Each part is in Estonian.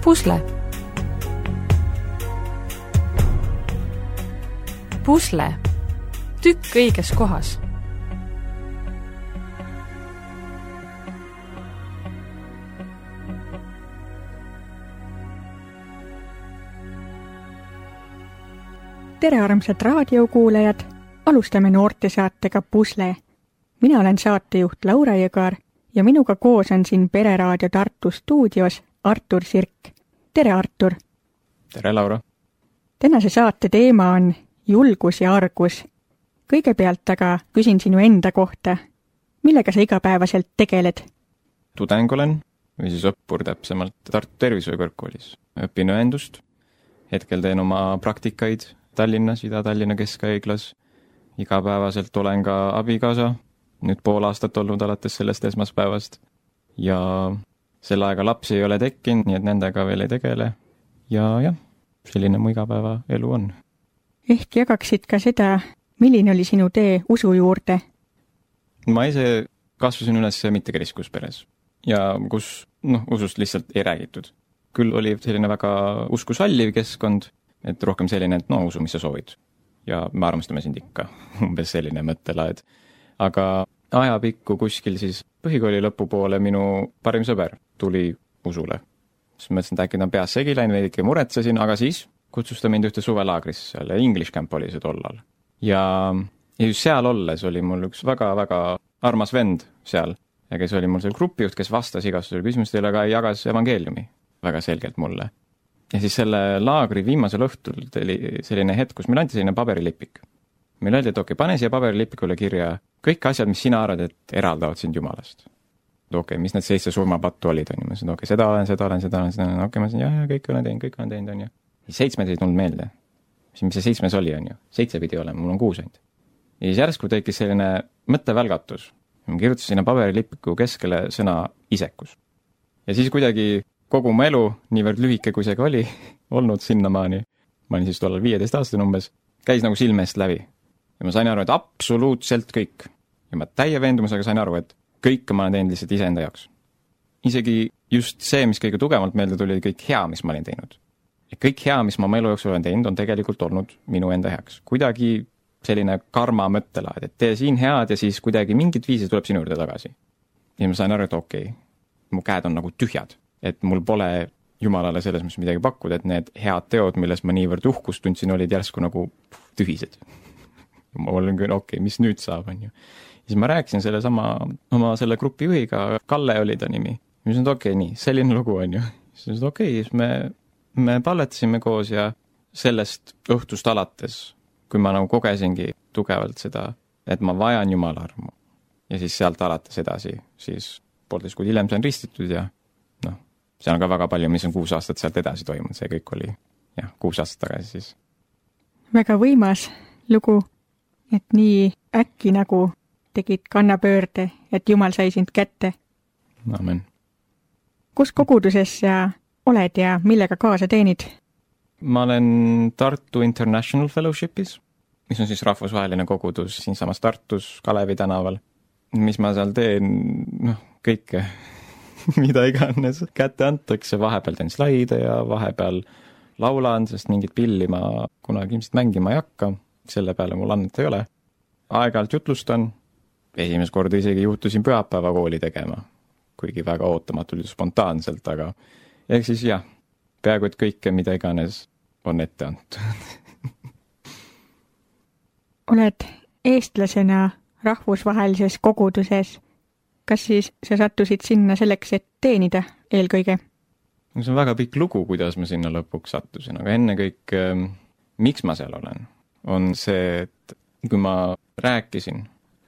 Pusle. Pusle. Tükk õiges kohas. Tere armsad raadiokuulajad, alustame noortesaatega Pusle. Mina olen saatejuht Laura Jõgar ja minuga koos on siin Pereraadio Tartu stuudios Artur Sirk. Tere Artur! Tere Laura! Tänase saate teema on julgus ja argus. Kõigepealt aga küsin sinu enda kohta. Millega sa igapäevaselt tegeled? Tudeng olen, või siis õppur täpsemalt Tartu Tervishoiukõrgkoolis. Õpin õendust. Hetkel teen oma praktikaid Tallinnas, Ida-Tallinna Keskhaiglas. Igapäevaselt olen ka abikaasa, nüüd pool aastat olnud alates sellest esmaspäevast. Ja selle aega lapsi ei ole tekkinud, nii et nendega veel ei tegele. Ja selline mu igapäeva elu on. Ehk jagaksid ka seda, milline oli sinu tee usu juurde? Ma ise kasvasin üles mittekriskusperes ja kus usust lihtsalt ei räägitud. Küll oli selline väga usku salliv keskkond, et rohkem selline, et usu, mis sa soovid. Ja me armastame sind ikka, umbes selline mõttelaed. Aga ajapikku kuskil siis põhikooli lõpupoole minu parim sõber tuli usule. Siis mõtlesin, et äkki ta on peas segi läinud, veidike muretsesin, aga siis kutsus ta mind ühte suvelaagrisse seal, English Camp oli see tollal. Ja just seal olles oli mul üks väga-väga armas vend seal, ja kes oli mul seal grupijuht, kes vastas igastusele küsimustele, aga jagas evangeeliumi väga selgelt mulle. Ja siis selle laagri viimasel õhtul oli selline hetk, kus meil anti selline paberilipik. Meil öeldi, et okei, pane siia paberilipikule kirja kõik asjad, mis sina arvad, et eraldavad sind Jumalast. Okei, mis need 7 surmapattu olid, on ju. Ma ütlesin, okei, seda olen, okei, ma ütlesin, jah, kõik olen teinud, on ju. 7 ei tulnud meelde. Mis see 7 oli, on ju. 7 pidi olema, mul on 6 ainult. Ja siis järsku tekkis selline mõttevälgatus. Ma kirjutasin sinna paberilipiku keskele sõna isekus. Ja siis kuidagi kogu mu elu, niivõrd lühike kui see ka oli, olnud sinnamaani, ma olin siis tollal 15 aastane umbes, käis nagu silmest läbi. Ja ma sain aru, et absoluutselt kõik. Ja ma täie veendumusega sain aru, et kõik ma olen teinud lihtsalt iseenda jaoks. Isegi just see, mis kõige tugevalt meelde tuli, kõik hea, mis ma olin teinud. Ja kõik hea, mis ma elu jooksul olen teinud, on tegelikult olnud minu enda heaks. Kuidagi selline karma mõttelaad, et tee siin head ja siis kuidagi mingit viisi tuleb sinu juurde tagasi. Ja ma sain aru, et okei, mu käed on nagu tühjad. Et mul pole Jumalale selles, mis midagi pakkuda, et need head teod, milles ma niivõrd uhkust tundsin, olid järsku nagu tühised. Ma olen küll, okei, mis nüüd saab, on ju. Siis ma rääkisin oma selle grupi juhiga, Kalle oli ta nimi. Mis on, okei, nii, selline lugu on ju. Siis okei, me palletasime koos ja sellest õhtust alates, kui ma nagu kogesingi tugevalt seda, et ma vajan Jumala armu. Ja siis sealt alates edasi, siis 1,5 kuud hiljem sain ristitud ja see on ka väga palju, mis on 6 aastat sealt edasi toimunud, see kõik oli 6 aastat tagasi siis. Väga võimas lugu, et nii äkki nagu tegid kannapöörde, et Jumal sai sind kätte. Amen. Kus koguduses sa oled ja millega kaasa teenid? Ma olen Tartu International Fellowshipis, mis on siis rahvusvaheline kogudus siinsamas Tartus, Kalevi tänaval. Mis ma seal teen? Kõike. Mida iganes kätte antakse, vahepeal teen slaide ja vahepeal laulan, sest mingit pilli ma kunagi ilmselt mängima ei hakka, selle peale mul annet ei ole. Aeg-ajalt jutlustan, esimest korda isegi juhtusin pühapäevakooli tegema, kuigi väga ootamatult ja spontaanselt, aga ehk siis peaaegu et kõike, mida iganes on ette antud. Oled eestlasena rahvusvahelises koguduses. Kas siis sa sattusid sinna selleks, et teenida eelkõige? See on väga pikk lugu, kuidas ma sinna lõpuks sattusin, aga enne kõik, miks ma seal olen, on see, et kui ma rääkisin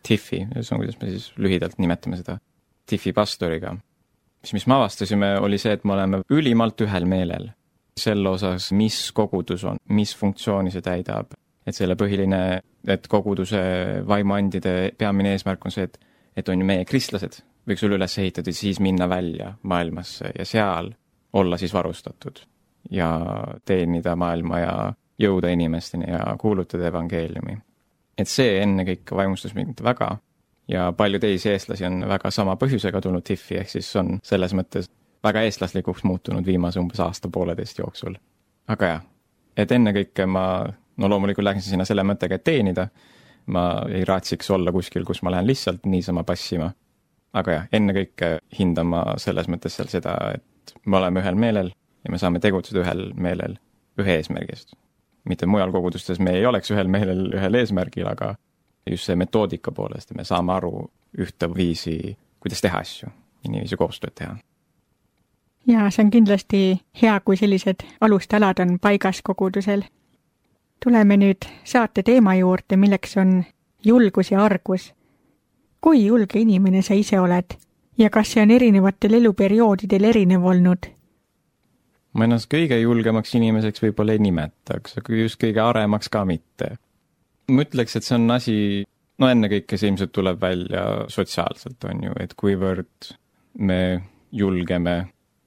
Tiffi, see on, kuidas me siis lühidalt nimetame seda, Tiffi pastoriga, mis me avastasime, oli see, et me oleme ülimalt ühel meelel selle osas, mis kogudus on, mis funktsiooni see täidab, et selle põhiline, et koguduse vaimuandide peamine eesmärk on see, et on ju meie kristlased, võiks üle üles ehitada ja siis minna välja maailmasse ja seal olla siis varustatud ja teenida maailma ja jõuda inimesteni ja kuulutada evangeeliumi. Et see enne kõik vaimustas mind väga ja palju teisi eestlasi on väga sama põhjusega tulnud Tiffi, ehk siis on selles mõttes väga eestlaslikuks muutunud viimase umbes aasta-pooleteist jooksul. Aga jah, et ennekõike ma loomulikult läksin sinna selle mõttega, et teenida. Ma ei raatsiks olla kuskil, kus ma lähen lihtsalt niisama passima. Aga jah, ennekõike hindan ma selles mõttes seal seda, et me oleme ühel meelel ja me saame tegutseda ühel meelel ühe eesmärgist. Mitte mujal kogudustes me ei oleks ühel meelel ühel eesmärgil, aga just see metoodika poolest, me saame aru ühte viisi, kuidas teha asju, inimesi koostööd teha. Ja see on kindlasti hea, kui sellised alustalad on paigas kogudusel. Tuleme nüüd saate teema juurde, milleks on julgus ja argus. Kui julge inimene sa ise oled ja kas see on erinevatel eluperioodidel erinev olnud? Ma ennast kõige julgemaks inimeseks võib-olla ei nimetaks, aga just kõige aremaks ka mitte. Ma ütleks, et see on asi, ennekõike see ilmselt tuleb välja sotsiaalselt on ju, et kuivõrd me julgeme,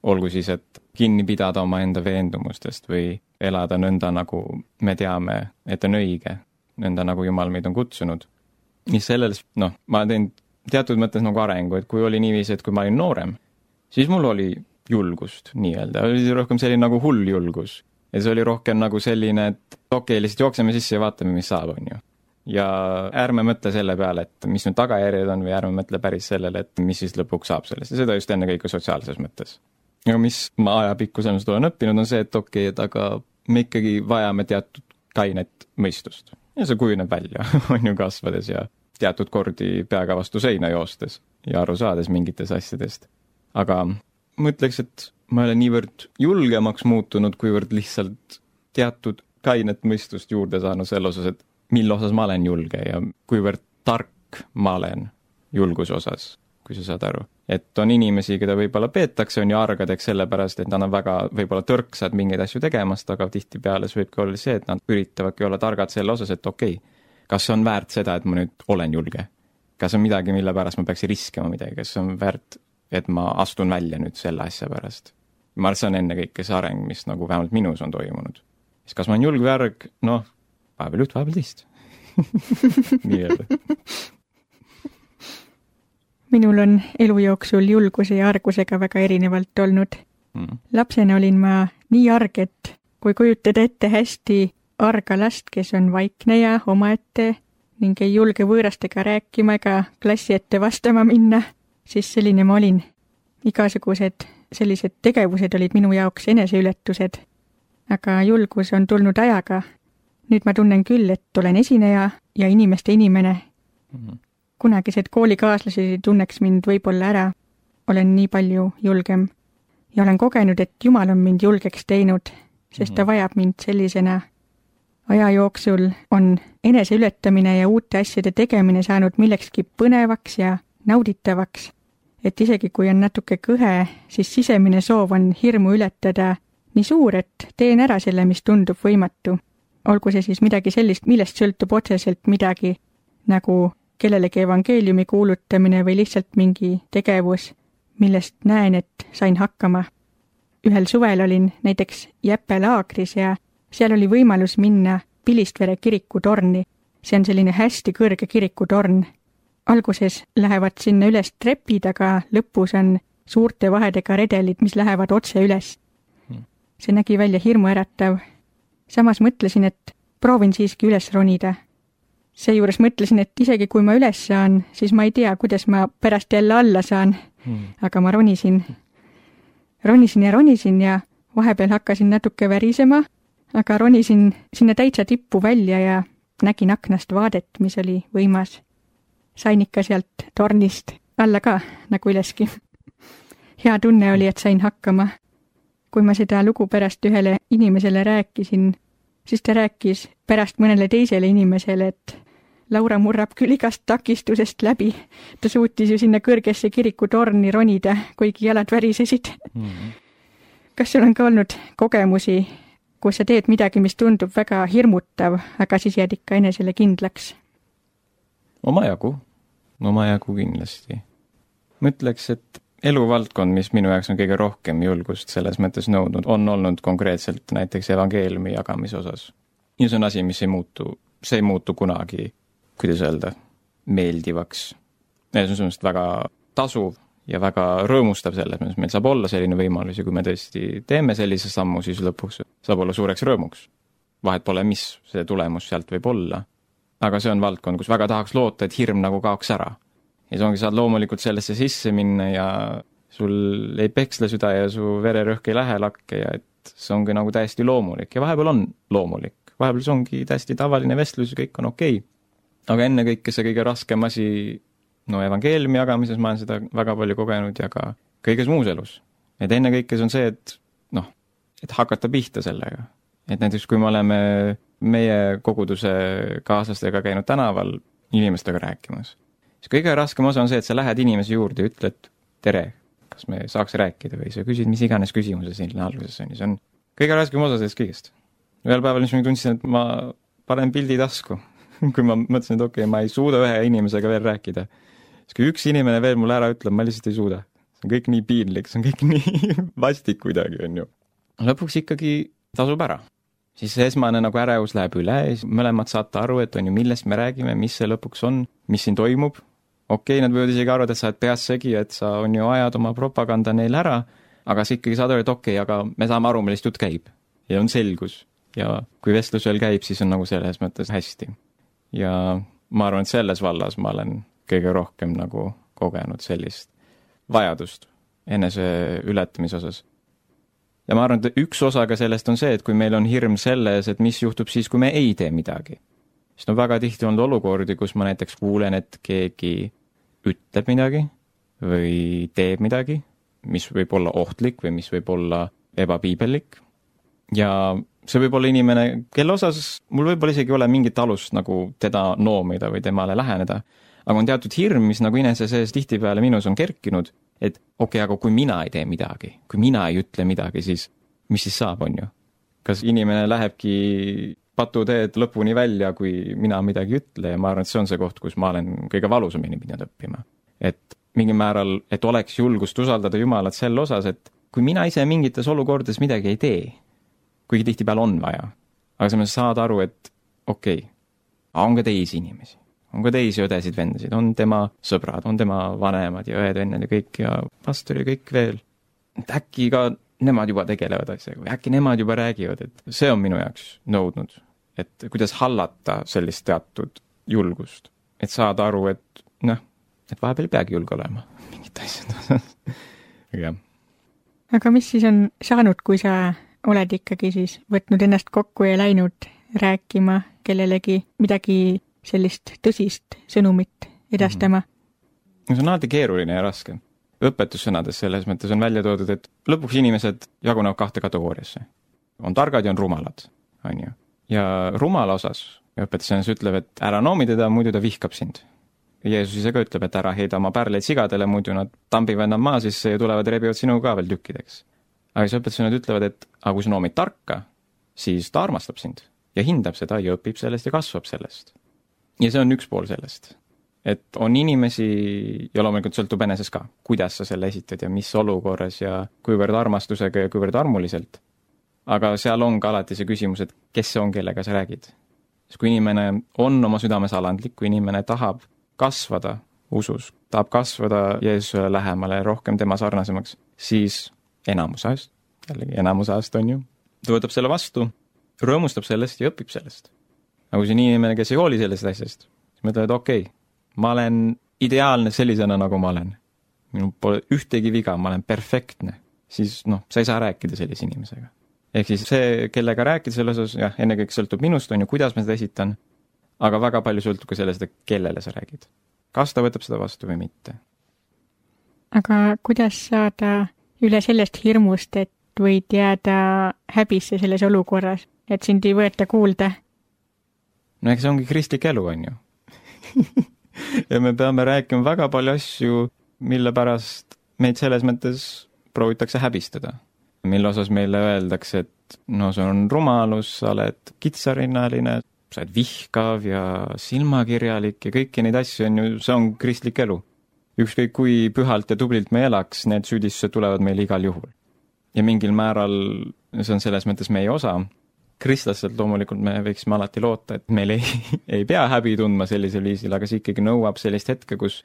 olgu siis, et kinni pidada oma enda veendumustest või elada nõnda, nagu me teame, et on õige, nõnda nagu Jumal meid on kutsunud. Nii selles, ma teen teatud mõttes nagu arengu, et kui oli niiviisi, et kui ma olin noorem, siis mul oli julgust nii-öelda, oli rohkem selline nagu hull julgus. Ja see oli rohkem nagu selline, et okei, lihtsalt jookseme sisse ja vaatame, mis saab, on ju. Ja ärme mõtle selle peale, et mis nüüd tagajärjed on või ärme mõtle päris sellele, et mis siis lõpuks saab sellest. Ja seda just ennekõike sotsiaalses mõttes. Aga mis ma ajapikku sellest olen õppinud, on see, et okei, et aga me ikkagi vajame teatud kainet mõistust. Ja see kujuneb välja, on ju kasvades ja teatud kordi peaga vastu seina joostes ja aru saades mingitest asjadest. Aga ma ütleks, et ma olen niivõrd julgemaks muutunud, kuivõrd lihtsalt teatud kainet mõistust juurde saanud selle osas, et mille osas ma olen julge ja kuivõrd tark ma olen julguse osas, kui sa saad aru. Et on inimesi, keda võib-olla peetakse, on ju argadeks sellepärast, et nad on väga võib-olla tõrksad mingeid asju tegemast, aga tihtipeale see võibki olla see, et nad üritavadki olla targad selle osas, et okei, kas see on väärt seda, et ma nüüd olen julge? Kas on midagi, mille pärast ma peaks riskima midagi? Kas on väärt, et ma astun välja nüüd selle asja pärast? Ma arvan, see on ennekõike see areng, mis nagu vähemalt minus on toimunud. Siis kas ma olen julg või arg? Vahepeal üht, vahepeal teist. Nii öelda. Minul on elu jooksul julguse ja argusega väga erinevalt olnud. Lapsena olin ma nii arg, et kui kujutada ette hästi arga last, kes on vaikne ja omaette ning ei julge võõrastega rääkima ega klassi ette vastama minna, siis selline ma olin. Igasugused sellised tegevused olid minu jaoks eneseületused, aga julgus on tulnud ajaga. Nüüd ma tunnen küll, et olen esineja ja inimeste inimene. Kunagised koolikaaslased tunneks mind võib-olla ära. Olen nii palju julgem ja olen kogenud, et Jumal on mind julgeks teinud, sest ta vajab mind sellisena. Aja jooksul on eneseületamine ja uute asjade tegemine saanud millekski põnevaks ja nauditavaks, et isegi kui on natuke kõhe, siis sisemine soov on hirmu ületada nii suur, et teen ära selle, mis tundub võimatu. Olgu see siis midagi sellist, millest sõltub otseselt midagi, nagu kellelegi evangeeliumi kuulutamine või lihtsalt mingi tegevus, millest näen, et sain hakkama. Ühel suvel olin näiteks Jäppe laagris ja seal oli võimalus minna Pilistvere kirikutorni. See on selline hästi kõrge kirikutorn. Alguses lähevad sinna üles trepid, aga lõpus on suurte vahedega redelid, mis lähevad otse üles. See nägi välja hirmuäratav. Samas mõtlesin, et proovin siiski üles ronida. Seejuures mõtlesin, et isegi kui ma üles saan, siis ma ei tea, kuidas ma pärast jälle alla saan. Aga ma ronisin ja vahepeal hakkasin natuke värisema, aga ronisin sinna täitsa tippu välja ja nägin aknast vaadet, mis oli võimas. Sain ikka sealt tornist alla ka, nagu üleski. Hea tunne oli, et sain hakkama. Kui ma seda lugu pärast ühele inimesele rääkisin, siis ta rääkis pärast mõnele teisele inimesele, et Laura murrab küll igast takistusest läbi. Ta suutis ju sinna kõrgesse kirikutorni ronida, kuigi jalad värisesid. Kas sul on ka olnud kogemusi, kus sa teed midagi, mis tundub väga hirmutav, aga siis jääd ikka enesele kindlaks? Omajagu kindlasti. Mõtleks, et eluvaldkond, mis minu jaoks on kõige rohkem julgust selles mõttes nõudnud, on olnud konkreetselt näiteks evangeeliumi jagamise osas. Ja see on asi, mis ei muutu kunagi, kuidas öelda, meeldivaks. See on väga tasuv ja väga rõõmustab selles, meil saab olla selline võimalus ja kui me tõesti teeme sellise sammu, siis lõpuks saab olla suureks rõõmuks. Vahet pole, mis see tulemus sealt võib olla. Aga see on valdkond, kus väga tahaks loota, et hirm nagu kaoks ära. Ja see ongi, saad loomulikult sellesse sisse minna ja sul ei peksle süda ja su vererõhk ei lähe lakke ja et see ongi nagu täiesti loomulik ja vahepeal on loomulik. Vahepeal see ongi täiesti tavaline vestlus ja kõik on okei. Aga enne kõike see kõige raskem asi, evangeeliumi jagamises ma olen seda väga palju kogenud ja ka kõiges muus elus. Et enne kõike see on see, et hakata pihta sellega. Et näiteks kui me oleme meie koguduse kaaslastega käinud tänaval inimestega rääkimas, siis kõige raskem osa on see, et sa lähed inimese juurde ja ütled, tere, kas me saaks rääkida või sa küsid mis iganes küsimuse siin alguses on. See on kõige raskem osa sellest kõigest. Ühel päeval mis ma tundsin, et ma panen pildi tasku, kui ma mõtlesin, et okei, ma ei suuda ühe inimesega veel rääkida. Siis kui üks inimene veel mulle ära ütleb, ma lihtsalt ei suuda. See on kõik nii piinlik, see on kõik nii vastik kuidagi, on ju. Lõpuks ikkagi tasub ära. Siis see esmane nagu ärevus läheb üle ja mõlemad saate aru, et on ju millest me räägime, mis see lõpuks on, mis siin toimub. Okei, nad võivad isegi arvata, et sa oled peas segi, et sa on ju ajad oma propaganda neil ära, aga sa ikkagi saad aru, et okei, aga me saame aru, millest jutt käib. Ja on selgus. Ja kui vestlus veel käib, siis on nagu selles mõttes hästi. Ja ma arvan, et selles vallas ma olen kõige rohkem nagu kogenud sellist vajadust enese ületamise osas. Ja ma arvan, et üks osa ka sellest on see, et kui meil on hirm selles, et mis juhtub siis, kui me ei tee midagi. Siis on väga tihti olnud olukordi, kus ma näiteks kuulen, et keegi ütleb midagi või teeb midagi, mis võib olla ohtlik või mis võib olla ebapiibellik. Ja see võib olla inimene, kelle osas mul võib-olla isegi ole mingit alust nagu teda noomida või temale läheneda. Aga on teatud hirm, mis nagu inese sees tihtipeale minus on kerkinud, et okei, aga kui mina ei tee midagi, kui mina ei ütle midagi, siis mis siis saab, on ju? Kas inimene lähebki patuteed lõpuni välja, kui mina midagi ütle ja ma arvan, et see on see koht, kus ma olen kõige valusamini pidanud õppima. Et mingil määral, et oleks julgust usaldada Jumalat sel osas, et kui mina ise mingites olukordades midagi ei tee, kuigi tihtipeale on vaja, aga sa saad aru, et okei, on ka teisi inimesi. On ka teisi õdesid vendasid, on tema sõbrad, on tema vanemad ja õed vennad ja kõik ja pastor ja kõik veel. Et äkki ka nemad juba tegelevad asjaga või äkki nemad juba räägivad, et see on minu jaoks nõudnud, et kuidas hallata sellist teatud julgust. Et saada aru, et et vahepeal ei peagi julge olema mingit asjad. Ja. Aga mis siis on saanud, kui sa oled ikkagi siis võtnud ennast kokku ja läinud rääkima kellelegi midagi sellist tõsist sõnumit edastama? See on alati keeruline ja raske. Õpetussõnades selles mõttes on välja toodud, et lõpuks inimesed jagunevad 2 kategooriasse. On targad ja on rumalad, on ju. Ja rumala osas õpetussõnas ütleb, et ära noomi teda, muidu ta vihkab sind. Jeesus ise ka ütleb, et ära heida oma pärleid sigadele, muidu nad tambivad nad maa sisse ja tulevad ja rebivad sinu ka veel tükkideks. Aga siis õpetussõnad ütlevad, et aga kui sa noomid tarka, siis ta armastab sind ja hindab seda ja õpib sellest ja kasvab sellest. Ja see on üks pool sellest. Et on inimesi, ja loomulikult sõltub eneses ka, kuidas sa selle esitad ja mis olukorras ja kuivõrd armastusega ja kuivõrd armuliselt. Aga seal on ka alati see küsimus, et kes see on, kellega sa räägid. Sest kui inimene on oma südames alandlik, kui inimene tahab kasvada usus, tahab kasvada Jeesusele lähemale rohkem tema sarnasemaks, siis enamus ajast on ju, ta võtab selle vastu, rõõmustab sellest ja õpib sellest. Aga kui see inimene, kes ei hooli sellest asjast, siis mõtled, et okei, ma olen ideaalne sellisena, nagu ma olen. Minul pole ühtegi viga, ma olen perfektne. Siis sa ei saa rääkida sellise inimesega. Ehk siis see, kellega rääkida selles osas, jah, enne kõik sõltub minust, on ju, kuidas ma seda esitan, aga väga palju sõltub ka sellest, kellele sa räägid. Kas ta võtab seda vastu või mitte? Aga kuidas saada üle sellest hirmust, et võid jääda häbisse selles olukorras, et sind ei võeta kuulda? No eks see ongi kristlik elu, on ju. Ja me peame rääkima väga palju asju, mille pärast meid selles mõttes proovitakse häbistada. Mille osas meile öeldakse, et see on rumalus, sa oled kitsarinnaline, sa oled vihkav ja silmakirjalik ja kõiki neid asju on ju, see on kristlik elu. Ükskõik kui pühalt ja tublilt me elaks, need süüdistused tulevad meil igal juhul. Ja mingil määral see on selles mõttes meie osa. Kristlaselt loomulikult me võiksime alati loota, et meil ei pea häbi tundma sellisel viisil, aga see ikkagi nõuab sellist hetke, kus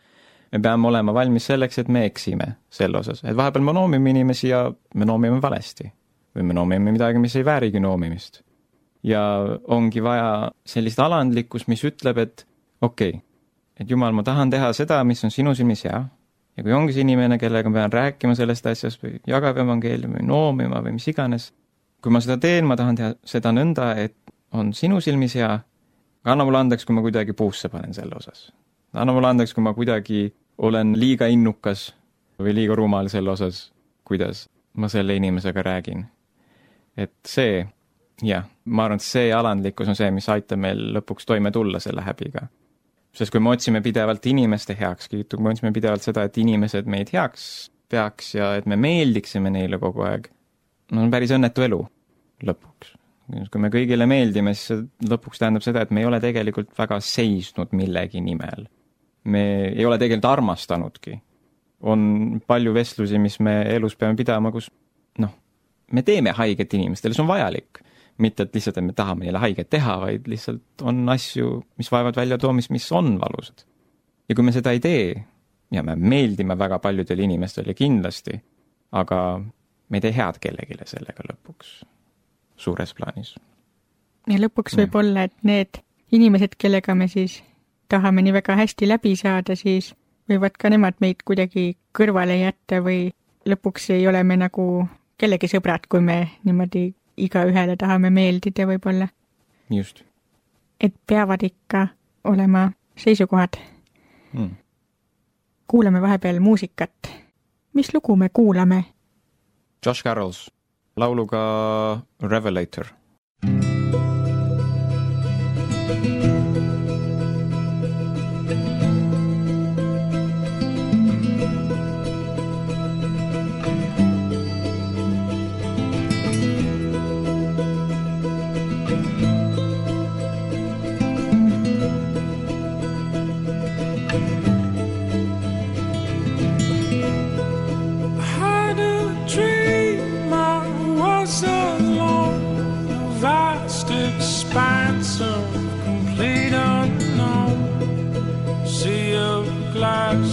me peame olema valmis selleks, et me eksime selle osas. Et vahepeal me noomime inimesi ja me noomime valesti. Või me noomime midagi, mis ei väärigi noomimist. Ja ongi vaja sellist alandlikkust, mis ütleb, et okei, et jumal, ma tahan teha seda, mis on sinu silmis hea. Ja kui ongi see inimene, kellega ma pean rääkima sellest asjast või jagab evangeeliumi või noomima või mis iganes, kui ma seda teen, ma tahan teha seda nõnda, et on sinu silmis hea, anna mulle andeks, kui ma kuidagi puusse panen selle osas. Anna mulle andeks, kui ma kuidagi olen liiga innukas või liiga rumal selle osas, kuidas ma selle inimesega räägin. Et see, jah, ma arvan, et see alandlikkus on see, mis aitab meil lõpuks toime tulla selle häbiga. Sest kui me otsime pidevalt inimeste heakskiitu, kui me otsime pidevalt seda, et inimesed meid heaks peaks ja et me meeldiksime neile kogu aeg, no on päris õnnetu elu lõpuks. Kui me kõigile meeldime, siis lõpuks tähendab seda, et me ei ole tegelikult väga seisnud millegi nimel. Me ei ole tegelikult armastanudki. On palju vestlusi, mis me elus peame pidama, kus me teeme haiget inimestele, see on vajalik. Mitte, et lihtsalt, et me tahame neile haiget teha, vaid lihtsalt on asju, mis vaevad välja toomist, mis on valusad. Ja kui me seda ei tee, ja me meeldime väga paljudele inimestele kindlasti, aga me ei tee head kellegile sellega lõpuks suures plaanis. Ja lõpuks võib olla, et need inimesed, kellega me siis tahame nii väga hästi läbi saada, siis võivad ka nemad meid kuidagi kõrvale jätta või lõpuks ei ole me nagu kellegi sõbrad, kui me niimoodi iga ühele tahame meeldida võib-olla. Just. Et peavad ikka olema seisukohad. Kuulame vahepeal muusikat. Mis lugu me kuulame? Josh Carrolls lauluga Revelator.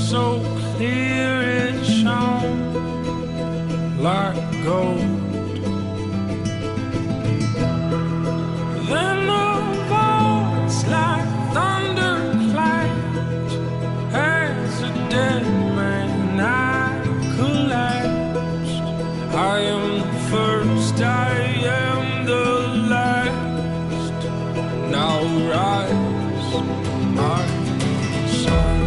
So clear it shone like gold. Then the voice like thunder clapped as a dead man I collapsed. I am the first, I am the last. Now rise, my soul.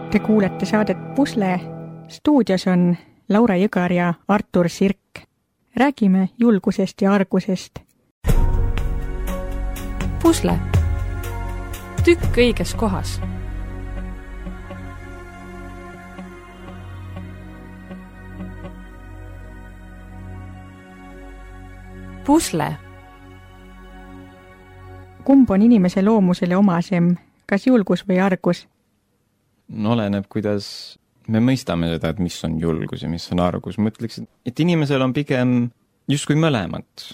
Te kuulete saadet Pusle. Stuudios on Laura Jõgar ja Artur Sirk. Räägime julgusest ja argusest. Pusle. Tükk õiges kohas. pusle. Kumb on inimese loomusele omasem, kas julgus või argus? No oleneb, kuidas me mõistame seda, et mis on julgus ja mis on argus. Ma ütleks, et inimesel on pigem justkui mõlemad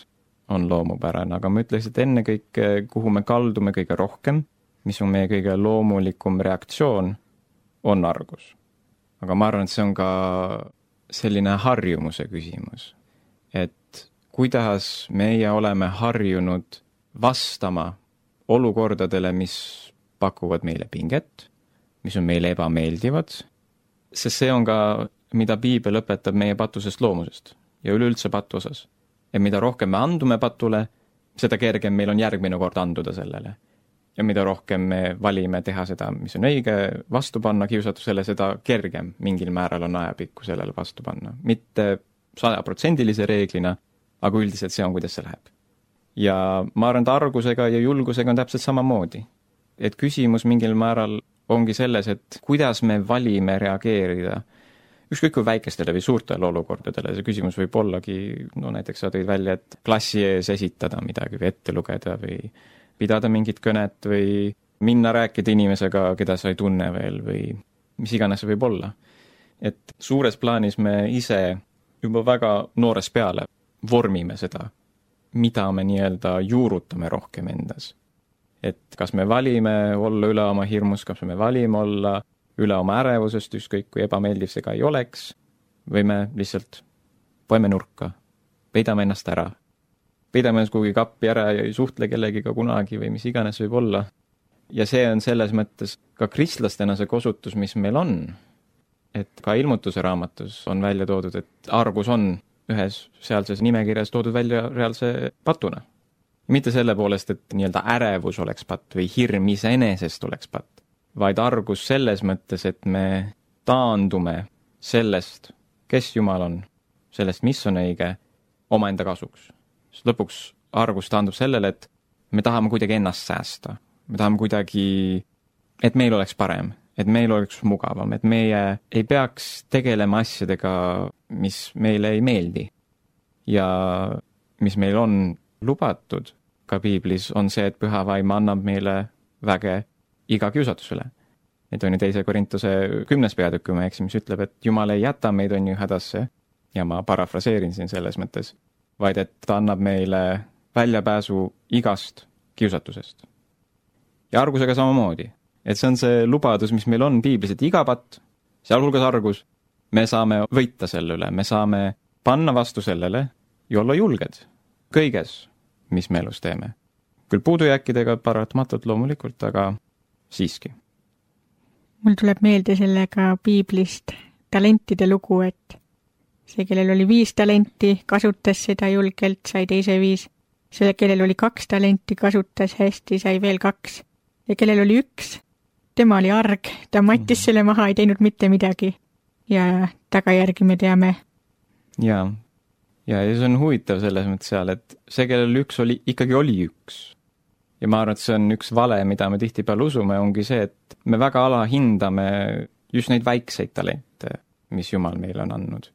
on loomupärane, aga ma ütleks, et ennekõike, kuhu me kaldume kõige rohkem, mis on meie kõige loomulikum reaktsioon, on argus. Aga ma arvan, et see on ka selline harjumuse küsimus. Et kuidas meie oleme harjunud vastama olukordadele, mis pakuvad meile pinget, mis on meile ebameeldivad, sest see on ka, mida piibel õpetab meie patusest loomusest ja üleüldse patu osas. Ja mida rohkem me andume patule, seda kergem meil on järgmine kord anduda sellele. Ja mida rohkem me valime teha seda, mis on õige, vastu panna kiusatusele, seda kergem mingil määral on ajapikku sellele vastu panna. Mitte 100% reeglina, aga üldiselt see on, kuidas see läheb. Ja ma arvan, et argusega ja julgusega on täpselt samamoodi. Et küsimus mingil määral ongi selles, et kuidas me valime reageerida ükskõik kui väikestele või suurtele olukordadele. See küsimus võib ollagi, no näiteks sa tõid välja, et klassi ees esitada midagi või ette lugeda või pidada mingit kõnet või minna rääkida inimesega, keda sa ei tunne veel või mis iganes see võib olla. Et suures plaanis me ise juba väga noores peale vormime seda, mida me nii-öelda juurutame rohkem endas. Et kas me valime olla üle oma hirmus, kas me valime olla üle oma ärevusest, ükskõik kui ebameeldiv see ka ei oleks, või me lihtsalt poeme nurka, peidame ennast ära, peidame ennast kuhugi kappi ära ja ei suhtle kellegiga kunagi või mis iganes võib olla. Ja see on selles mõttes ka kristlastena see kosutus, mis meil on. Et ka ilmutuse raamatus on välja toodud, et argus on ühes sealses nimekirjas toodud välja reaalse patuna. Mitte selle poolest, et nii-öelda ärevus oleks patt või hirm iseenesest oleks patt, vaid argus selles mõttes, et me taandume sellest, kes Jumal on, sellest, mis on õige, omaenda kasuks. Sest lõpuks argus taandub sellele, et me tahame kuidagi ennast säästa. Me tahame kuidagi, et meil oleks parem, et meil oleks mugavam, et meie ei peaks tegelema asjadega, mis meile ei meeldi. Ja mis meil on lubatud ka piiblis, on see, et püha vaim annab meile väge iga kiusatusele. Et on ju 2. Korintuse 10. peatükk, kui ma eksin, mis ütleb, et Jumal ei jäta meid on ju hädasse, ja ma parafraseerin siin selles mõttes, vaid et ta annab meile väljapääsu igast kiusatusest. Ja argusega samamoodi. Et see on see lubadus, mis meil on piiblis, et iga patt, sealhulgas argus, me saame võita selle üle, me saame panna vastu sellele ja olla julged kõiges, mis me elus teeme. Küll puudujääkidega paratamatult loomulikult, aga siiski. Mul tuleb meelde sellega piiblist talentide lugu, et see, kellel oli 5 talenti, kasutas seda julgelt, sai teise 5. See, kellel oli 2 talenti, kasutas hästi, sai veel 2. Ja kellel oli 1, tema oli arg, ta mattis selle maha, ei teinud mitte midagi. Ja tagajärgi me teame. Ja see on huvitav selles mõttes seal, et see, kellel 1 oli, ikkagi oli 1. Ja ma arvan, et see on üks vale, mida me tihtipeale usume, ongi see, et me väga alahindame just neid väikseid talente, mis Jumal meile on andnud.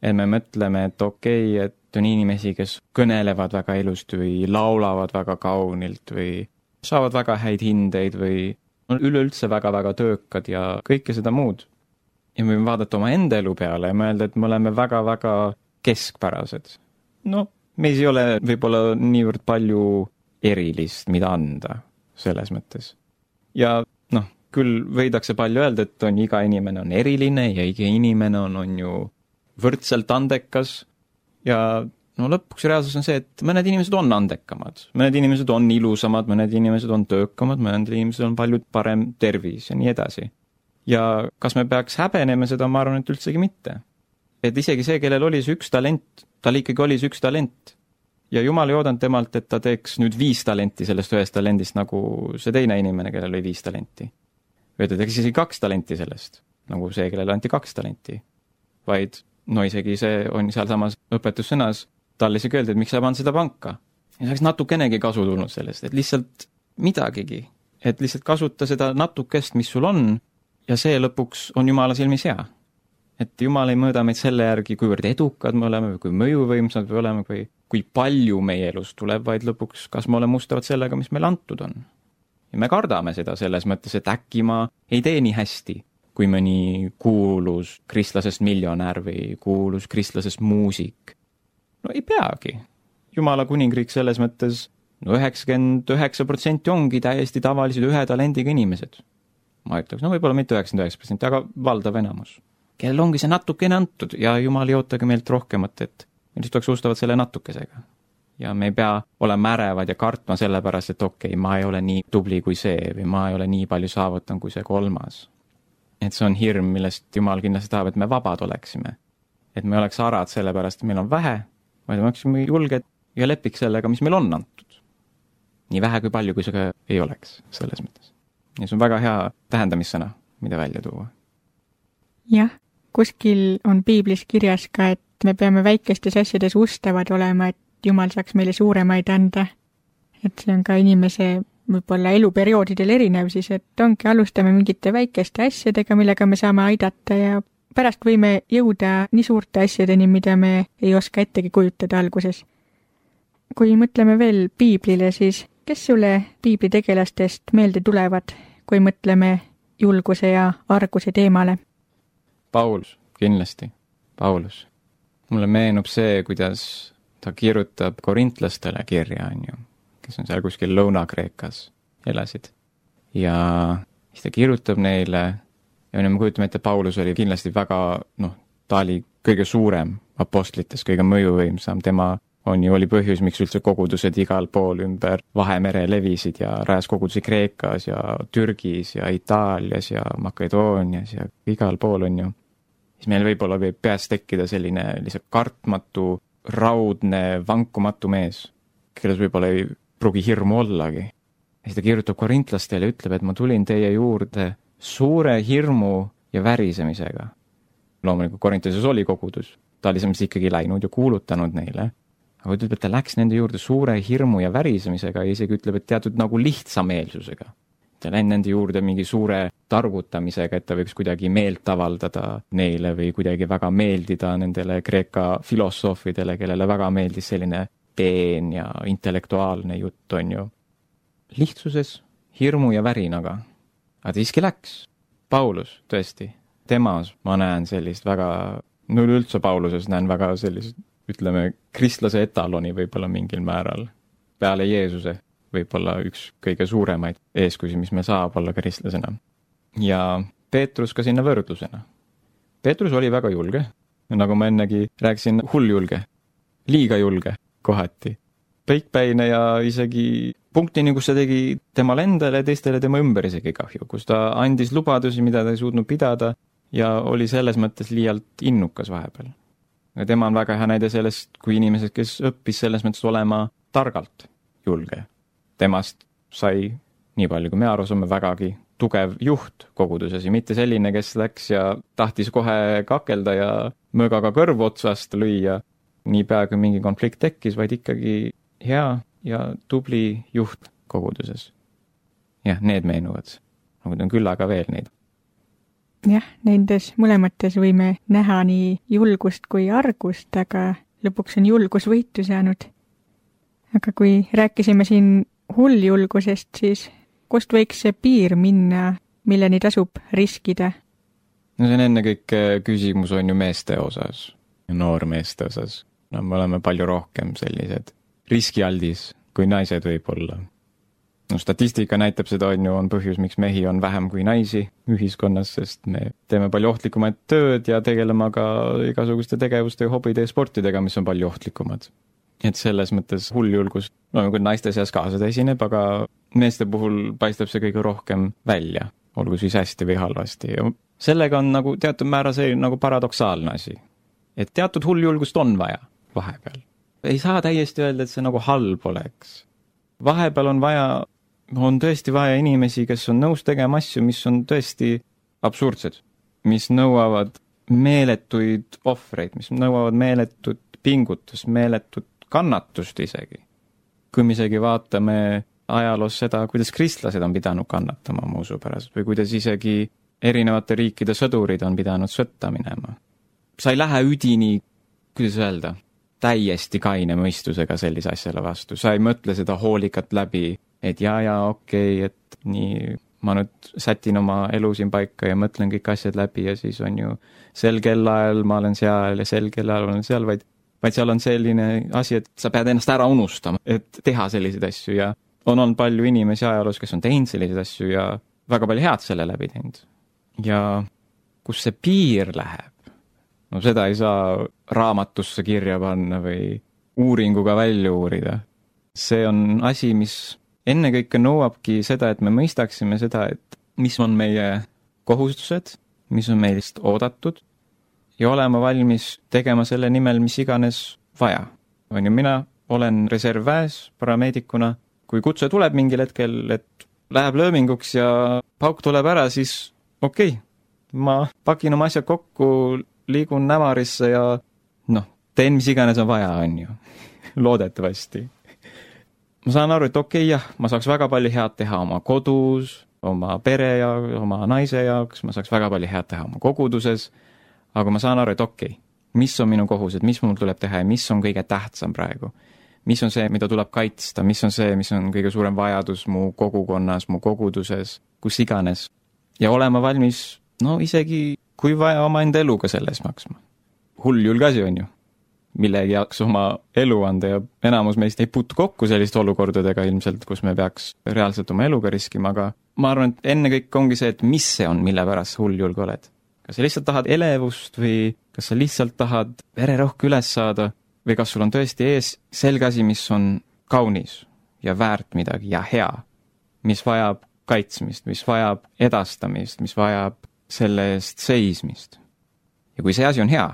Et me mõtleme, et okei, et on inimesi, kes kõnelevad väga ilusti või laulavad väga kaunilt või saavad väga häid hindeid või on üleüldse väga-väga töökad ja kõike seda muud. Ja me võime vaadata oma enda elu peale ja mõelda, et me oleme väga-väga keskpärased. No, meis ei ole võib-olla niivõrd palju erilist, mida anda selles mõttes. Ja küll võidakse palju öelda, et on iga inimene on eriline ja iga inimene on ju võrdselt andekas ja lõpuks reaalsus on see, et mõned inimesed on andekamad, mõned inimesed on ilusamad, mõned inimesed on töökamad, mõned inimesed on palju parem tervis ja nii edasi. Ja kas me peaks häbenema seda, ma arvan, et üldsegi mitte. Et isegi see, kellel oli see 1 talent, tal ikkagi oli see 1 talent. Ja Jumal ei oodanud temalt, et ta teeks nüüd 5 talenti sellest 1 talendist, nagu see teine inimene, kellel oli 5 talenti. Või ta teeks isegi 2 talenti sellest, nagu see, kellel anti 2 talenti. Vaid, isegi see on sealsamas õpetussõnas, talle isegi öeldi, et miks sa pannud seda panka. Ja saaks natukenegi kasu tulnud sellest, et lihtsalt midagigi. Et lihtsalt kasuta seda natukest, mis sul on, ja see lõpuks on Jumala silmis hea. Et Jumal ei mõõda meid selle järgi, kuivõrd edukad me oleme või kui mõjuvõimsad me oleme või kui palju meie elus tuleb, vaid lõpuks, kas me oleme mustavad sellega, mis meile antud on. Ja me kardame seda selles mõttes, et äkki ma ei tee nii hästi, kui mõni kuulus kristlasest miljonär või kuulus kristlasest muusik. No ei peagi. Jumala kuningriik selles mõttes 99% ongi täiesti tavalised ühe talendiga inimesed. Ma ütleks, no võib-olla mitte 99%, aga valdav enamus. Kellel ongi see natukene antud ja Jumal ei ootagi meilt rohkemat, et me lihtsalt oleks ustavad selle natukesega. Ja me ei pea olema ärevad ja kartma sellepärast, et okei, ma ei ole nii tubli kui see või ma ei ole nii palju saavutan kui see kolmas. Et see on hirm, millest Jumal kindlasti tahab, et me vabad oleksime. Et me oleks arad sellepärast, et meil on vähe, vaid me oleksime julged ja lepiks sellega, mis meil on antud. Nii vähe kui palju, kui see ei oleks selles mõttes. Ja see on väga hea tähendamissõna, mida välja tuua. Jah, kuskil on piiblis kirjas ka, et me peame väikestes asjades ustavad olema, et Jumal saaks meile suuremaid anda. Et see on ka inimese võib-olla eluperioodidel erinev siis, et ongi alustame mingite väikeste asjadega, millega me saame aidata ja pärast võime jõuda nii suurte asjadeni, mida me ei oska ettegi kujutada alguses. Kui mõtleme veel piiblile, siis kes sulle piibli tegelastest meelde tulevad, kui mõtleme julguse ja arguse teemale? Paulus, kindlasti. Paulus. Mulle meenub see, kuidas ta kirjutab korintlastele kirja, kes on seal kuskil Lõuna-Kreekas elasid. Ja siis ta kirjutab neile ja me kujutame ette, Paulus oli kindlasti väga, ta oli kõige suurem apostlites, kõige mõjuvõimsam, tema oli põhjus, miks üldse kogudused igal pool ümber Vahemere levisid ja rajas kogudusi Kreekas ja Türgis ja Itaalias ja Makedoonias ja igal pool on ju. Siis meil võib-olla võib peas tekkida selline lihtsalt kartmatu, raudne, vankumatu mees, kelles võib-olla ei pruugi hirmu ollagi. Ja siis ta kirjutab korintlastele ja ütleb, et ma tulin teie juurde suure hirmu ja värisemisega. Loomulikult Korintlases oli kogudus, ta oli selles ikkagi läinud ja kuulutanud neile. Aga ütleb, et ta läks nende juurde suure hirmu ja värisemisega ja isegi ütleb, et teatud nagu lihtsameelsusega. Ta läinud nende juurde mingi suure targutamisega, et ta võiks kuidagi meelt avaldada neile või kuidagi väga meeldida nendele Kreeka filosoofidele, kellele väga meeldis selline peen ja intellektuaalne jutt on ju. Lihtsuses, hirmu ja värinaga. Aga ta siiski läks. Paulus, tõesti. Temas ma näen sellist väga, üldse Pauluses näen väga sellist, ütleme, kristlase etaloni võib-olla mingil määral. Peale Jeesuse võib-olla üks kõige suuremaid eeskusi, mis me saab olla kristlasena. Ja Peetrus ka sinna võrdlusena. Peetrus oli väga julge, nagu ma ennegi rääkisin, hulljulge, liiga julge kohati. Peikpäine ja isegi punktini, kus ta tegi temale endale ja teistele tema ümber isegi kahju, kus ta andis lubadusi, mida ta ei suutnud pidada ja oli selles mõttes liialt innukas vahepeal. Ja tema on väga hea näide sellest, kui inimesed, kes õppis selles mõttes olema targalt julge. Temast sai, nii palju kui me aru saame, vägagi tugev juht koguduses ja mitte selline, kes läks ja tahtis kohe kakelda ja möögaga kõrvu otsast lüüa. Nii pea, kui mingi konflikt tekkis, vaid ikkagi hea ja tubli juht koguduses. Jah, need meenuvad. Nagu on küll aga veel neid. Jah, nendes mõlemates võime näha nii julgust kui argust, aga lõpuks on julgus võitu saanud. Aga kui rääkisime siin hulljulgusest, siis kust võiks see piir minna, milleni tasub riskida? No see on ennekõike küsimus on ju meeste osas, noormeeste osas. No, me oleme palju rohkem sellised riskialdis kui naised võib-olla. No, statistika näitab seda on põhjus, miks mehi on vähem kui naisi ühiskonnas, sest me teeme palju ohtlikumaid tööd ja tegeleme ka igasuguste tegevuste ja hobide ja sportidega, mis on palju ohtlikumad. Et selles mõttes hulljulgus, kui naiste seas ka seda esineb, aga meeste puhul paistab see kõige rohkem välja, olgu siis hästi või halvasti. Ja sellega on nagu teatud määra see nagu paradoksaalne asi. Et teatud hulljulgust on vaja vahepeal. Ei saa täiesti öelda, et see nagu halb oleks. Vahepeal on tõesti vaja inimesi, kes on nõus tegema asju, mis on tõesti absurdsed, mis nõuavad meeletuid ohvreid, mis nõuavad meeletut pingutust, meeletut kannatust isegi. Kui me isegi vaatame ajaloos seda, kuidas kristlased on pidanud kannatama muusu pärast või kuidas isegi erinevate riikide sõdurid on pidanud sõtta minema. Sa ei lähe üdini, kuidas öelda, täiesti kaine mõistusega sellise asjale vastu. Sa ei mõtle seda hoolikalt läbi, et okei, et nii ma nüüd sätin oma elu siin paika ja mõtlen kõik asjad läbi ja siis on ju sel kellaajal ma olen seal ja sel kellaajal olen seal, vaid seal on selline asi, et sa pead ennast ära unustama, et teha selliseid asju ja on olnud palju inimesi ajaloos, kes on teinud selliseid asju ja väga palju head selle läbi teinud. Ja kus see piir läheb? No seda ei saa raamatusse kirja panna või uuringuga välja uurida. See on asi, mis ennekõike nõuabki seda, et me mõistaksime seda, et mis on meie kohustused, mis on meist oodatud ja olema valmis tegema selle nimel, mis iganes vaja. On ju, mina olen reservväes parameedikuna. Kui kutse tuleb mingil hetkel, et läheb lööminguks ja pauk tuleb ära, siis okei, ma pakin oma asjad kokku, liigun Nämarisse ja teen mis iganes on vaja, on ju. Loodetavasti. Ma saan aru, et okei, ma saaks väga palju head teha oma kodus, oma pere ja oma naise jaoks, ma saaks väga palju head teha oma koguduses, aga ma saan aru, et okei, mis on minu kohused, mis mul tuleb teha ja mis on kõige tähtsam praegu. Mis on see, mida tuleb kaitsta, mis on see, mis on kõige suurem vajadus mu kogukonnas, mu koguduses, kus iganes. Ja olema valmis, isegi kui vaja oma enda eluga selles maksma. Hulljulge asi on ju, millegi jaoks oma elu anda ja enamus meist ei puutu kokku selliste olukordadega ilmselt, kus me peaks reaalselt oma eluga riskima, aga ma arvan, et ennekõike ongi see, et mis see on, mille pärast hulljulge oled. Kas sa lihtsalt tahad elevust või kas sa lihtsalt tahad vererõhku üles saada või kas sul on tõesti ees selge asi, mis on kaunis ja väärt midagi ja hea, mis vajab kaitsmist, mis vajab edastamist, mis vajab selle eest seismist. Ja kui see asi on hea,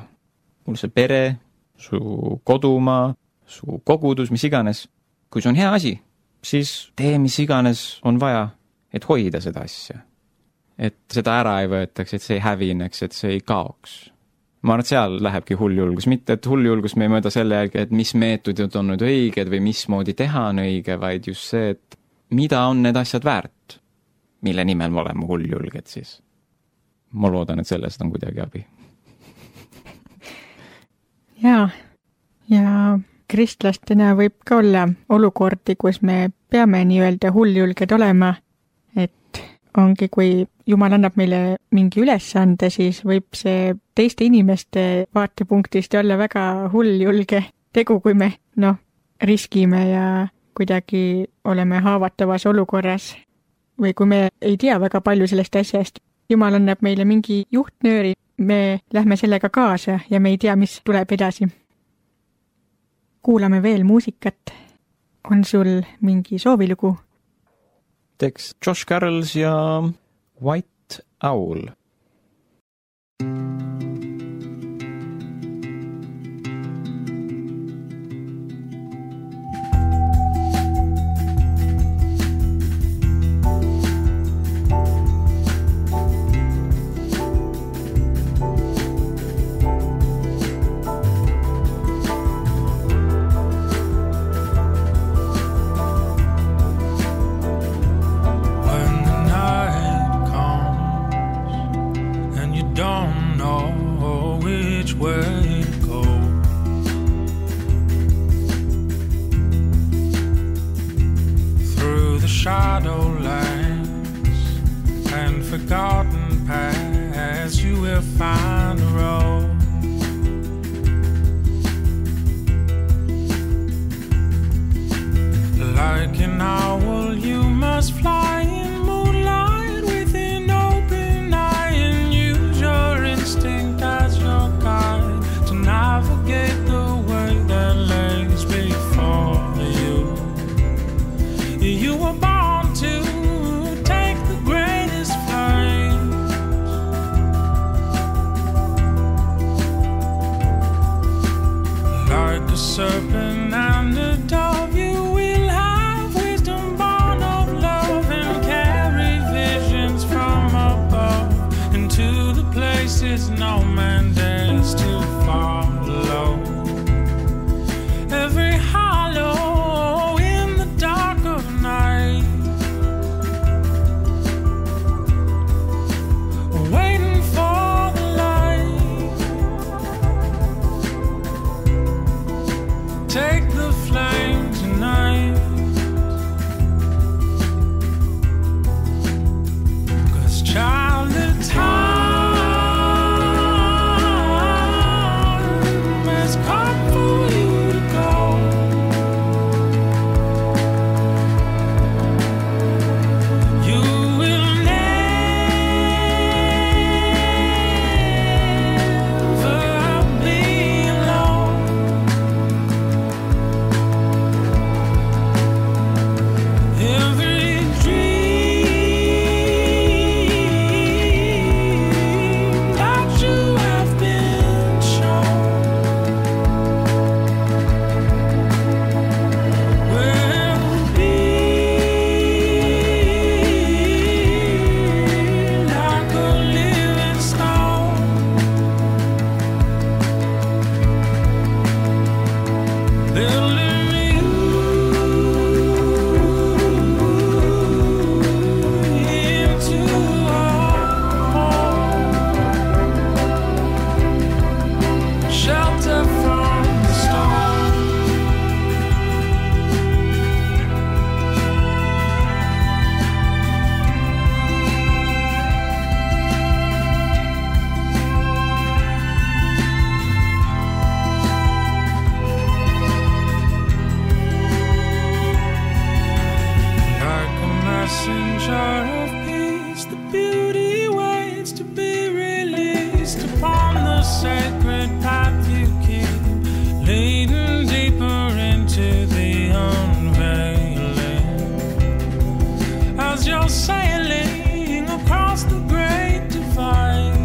mul see pere, su kodumaa, su kogudus, mis iganes, kui see on hea asi, siis tee mis iganes on vaja, et hoida seda asja. Et seda ära ei võetaks, et see ei hävineks, et see ei kaoks. Ma arvan, et seal lähebki hulljulgus, mitte et hulljulgus me ei mõõda selle jälgi, et mis meetodid on nüüd õiged või mismoodi teha on õige, vaid just see, et mida on need asjad väärt, mille nimel me oleme hulljulged siis. Ma loodan, et sellest on kuidagi abi. Ja kristlastena võib ka olla olukordi, kus me peame nii-öelda hulljulged olema, et ongi, kui Jumal annab meile mingi ülesande, siis võib see teiste inimeste vaatepunktist olla väga hulljulge tegu, kui me riskime ja kuidagi oleme haavatavas olukorras või kui me ei tea väga palju sellest asjast. Jumal annab meile mingi juhtnööri, me lähme sellega kaasa ja me ei tea, mis tuleb edasi. Kuulame veel muusikat. On sul mingi soovilugu? Teeks Josh Carrolls ja White Owl. Forgotten paths, you will find a road. Like an owl, you must fly in moonlight with an open eye and use your instinct as your guide to navigate the way that lays before you. You were born to serpent and a dove, you will have wisdom sure of peace, the beauty waits to be released upon the sacred path you keep, leading deeper into the unveiling. As you're sailing across the great divide,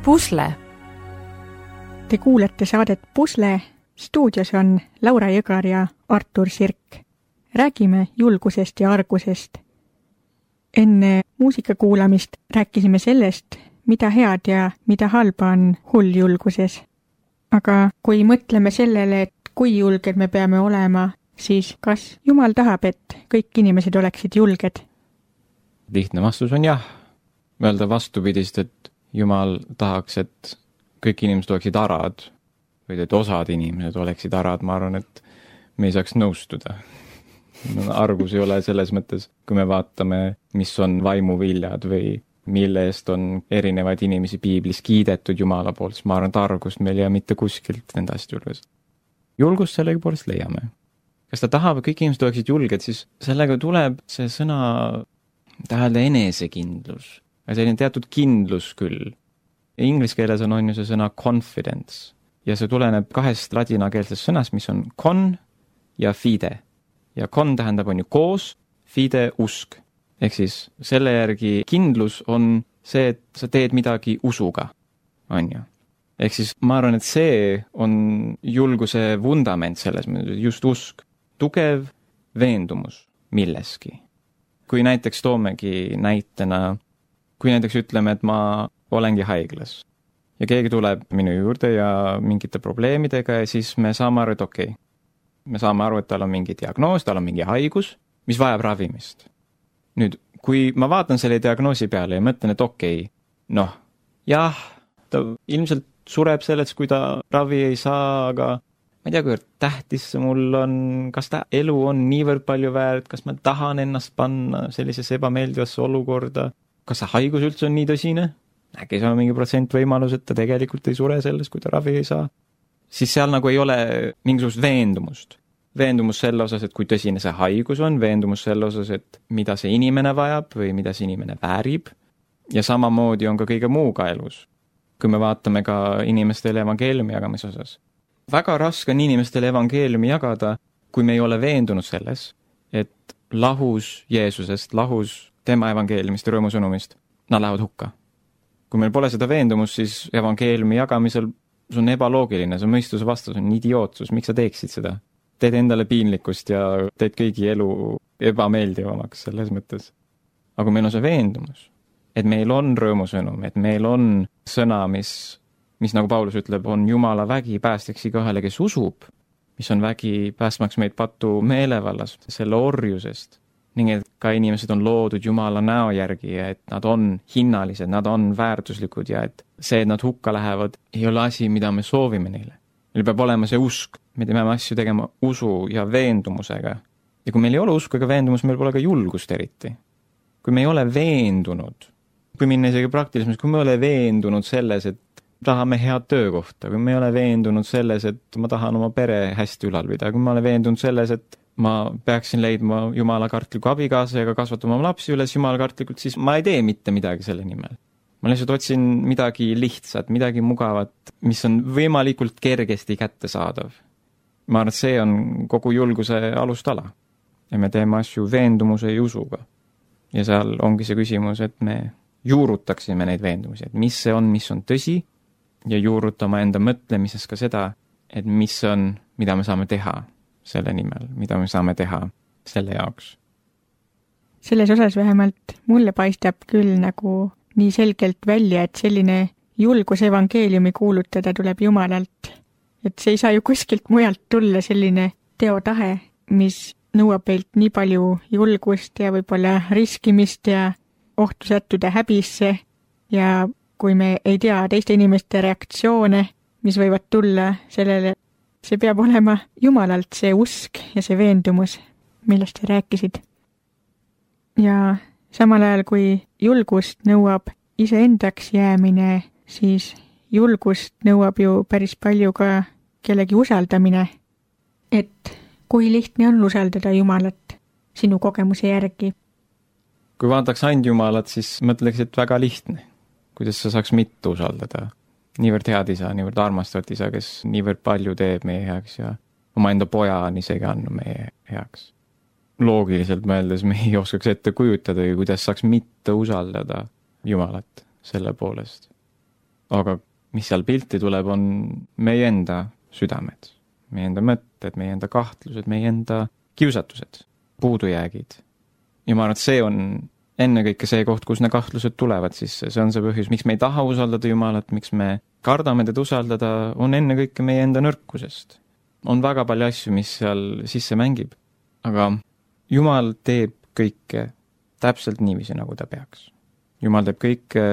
Pusle. Te kuulete saadet Pusle. Stuudios on Laura Jõgar ja Artur Sirk. Räägime julgusest ja argusest. Enne muusika kuulamist rääkisime sellest, mida head ja mida halba on hulljulguses. Aga kui mõtleme sellele, et kui julged me peame olema, siis kas Jumal tahab, et kõik inimesed oleksid julged? Lihtne vastus on jah. Öelda vastupidist, et Jumal tahaks, et kõik inimesed oleksid arad või et osad inimesed oleksid arad, ma arvan, et me ei saaks nõustuda. Argus ei ole selles mõttes, kui me vaatame, mis on vaimuviljad või mille eest on erinevaid inimesi piiblis kiidetud Jumala poolt, siis ma arvan, et argust meil ei mitte kuskilt nende asjad julges. Julgust sellega poolest leiame. Kas ta tahab, et kõik inimesed oleksid julged, siis sellega tuleb see sõna tähelde enesekindlus. Selline teatud kindlus küll. Inglise keeles on ju see sõna confidence ja see tuleneb kahest ladinakeelsest sõnast, mis on con ja fide. Ja con tähendab on ju koos, fide usk. Ehk siis selle järgi kindlus on see, et sa teed midagi usuga, on ju. Ehk siis ma arvan, et see on julguse vundament selles mõttes, just usk. Tugev veendumus milleski. Kui näiteks toomegi näitena, kui näiteks ütleme, et ma olengi haiglas ja keegi tuleb minu juurde ja mingite probleemidega ja siis me saame aru, et okei. Me saame aru, et tal on mingi diagnoos, tal on mingi haigus, mis vajab ravimist. Nüüd, kui ma vaatan selle diagnoosi peale ja mõtlen, et okei, jah, ta ilmselt sureb sellest, kui ta ravi ei saa, aga ma ei tea, kui tähtis see mul on, kas ta elu on niivõrd palju väärt, kas ma tahan ennast panna sellisesse ebameeldivasse olukorda, kas see haigus üldse on nii tõsine? Äkki see on mingi protsent võimalus, et ta tegelikult ei sure sellest, kui ta ravi ei saa. Siis seal nagu ei ole mingisugust veendumust. Veendumus selle osas, et kui tõsine see haigus on, veendumus selle osas, et mida see inimene vajab või mida see inimene väärib. Ja samamoodi on ka kõige muuga elus. Kui me vaatame ka inimestele evangeeliumi jagamise osas. Väga raske on inimestele evangeeliumi jagada, kui me ei ole veendunud selles, et lahus Jeesusest, lahus tema evangeeliumist ja rõõmusõnumist, nad lähevad hukka. Kui meil pole seda veendumust, siis evangeeliumi jagamisel see on ebaloogiline, see on mõistuse vastus, on idiootsus, miks sa teeksid seda? Teed endale piinlikkust ja teed kõigi elu ebameeldivamaks selles mõttes. Aga meil on see veendumus, et meil on rõõmusõnum, et meil on sõna, mis nagu Paulus ütleb, on Jumala vägi päästeks igahele, kes usub, mis on vägi päästmaks meid patu meelevallas, selle orjusest. Ning et ka inimesed on loodud Jumala näo järgi ja et nad on hinnalised, nad on väärtuslikud ja et see, et nad hukka lähevad, ei ole asi, mida me soovime neile. Meil peab olema see usk, me peame asju tegema usu ja veendumusega. Ja kui meil ei ole usku ega veendumus, meil pole ka julgust eriti. Kui me ei ole veendunud, kui minna isegi praktilisemaks, kui me ei ole veendunud selles, et tahame head töökohta, kui me ei ole veendunud selles, et ma tahan oma pere hästi ülalpida, kui ma olen veendunud selles, et ma peaksin leidma Jumala kartliku abikaasa ja kasvatama oma lapsi üles Jumala kartlikult, siis ma ei tee mitte midagi selle nimel. Ma lihtsalt otsin midagi lihtsat, midagi mugavat, mis on võimalikult kergesti kättesaadav. Ma arvan, et see on kogu julguse alustala. Ja me teeme asju veendumuse ja usuga. Ja seal ongi see küsimus, et me juurutaksime neid veendumusi, et mis see on, mis on tõsi ja juurutama enda mõtlemises ka seda, et mis on, mida me saame teha selle nimel, mida me saame teha selle jaoks. Selles osas vähemalt mulle paistab küll nagu nii selgelt välja, et selline julgus evangeeliumi kuulutada tuleb Jumalalt. Et see ei saa ju kuskilt mujalt tulla selline teotahe, mis nõuab meilt nii palju julgust ja võib-olla riskimist ja ohtu sättuda häbisse ja kui me ei tea teiste inimeste reaktsioone, mis võivad tulla sellele, see peab olema Jumalalt see usk ja see veendumus, millest sa rääkisid. Ja samal ajal, kui julgust nõuab iseendaks jäämine, siis julgust nõuab ju päris palju ka kellegi usaldamine. Et kui lihtne on usaldada Jumalat sinu kogemuse järgi? Kui vaataks ainult Jumalat, siis mõtleks, et väga lihtne. Kuidas sa saaks mitte usaldada? Niivõrd head isa, niivõrd armastavat isa, kes niivõrd palju teeb meie heaks ja oma enda poja on isegi andnud meie heaks. Loogiliselt mõeldes me ei oskaks ette kujutada, kuidas saaks mitte usaldada Jumalat selle poolest. Aga mis seal pilti tuleb, on meie enda südamed, meie enda mõtted, meie enda kahtlused, meie enda kiusatused, puudujäägid. Ja ma arvan, et see on ennekõike see koht, kus need kahtlused tulevad sisse. See on see põhjus, miks me ei taha usaldada Jumalat, miks me kardame teda usaldada, on ennekõike meie enda nõrkusest. On väga palju asju, mis seal sisse mängib. Aga Jumal teeb kõike täpselt niiviisi, nagu ta peaks. Jumal teeb kõike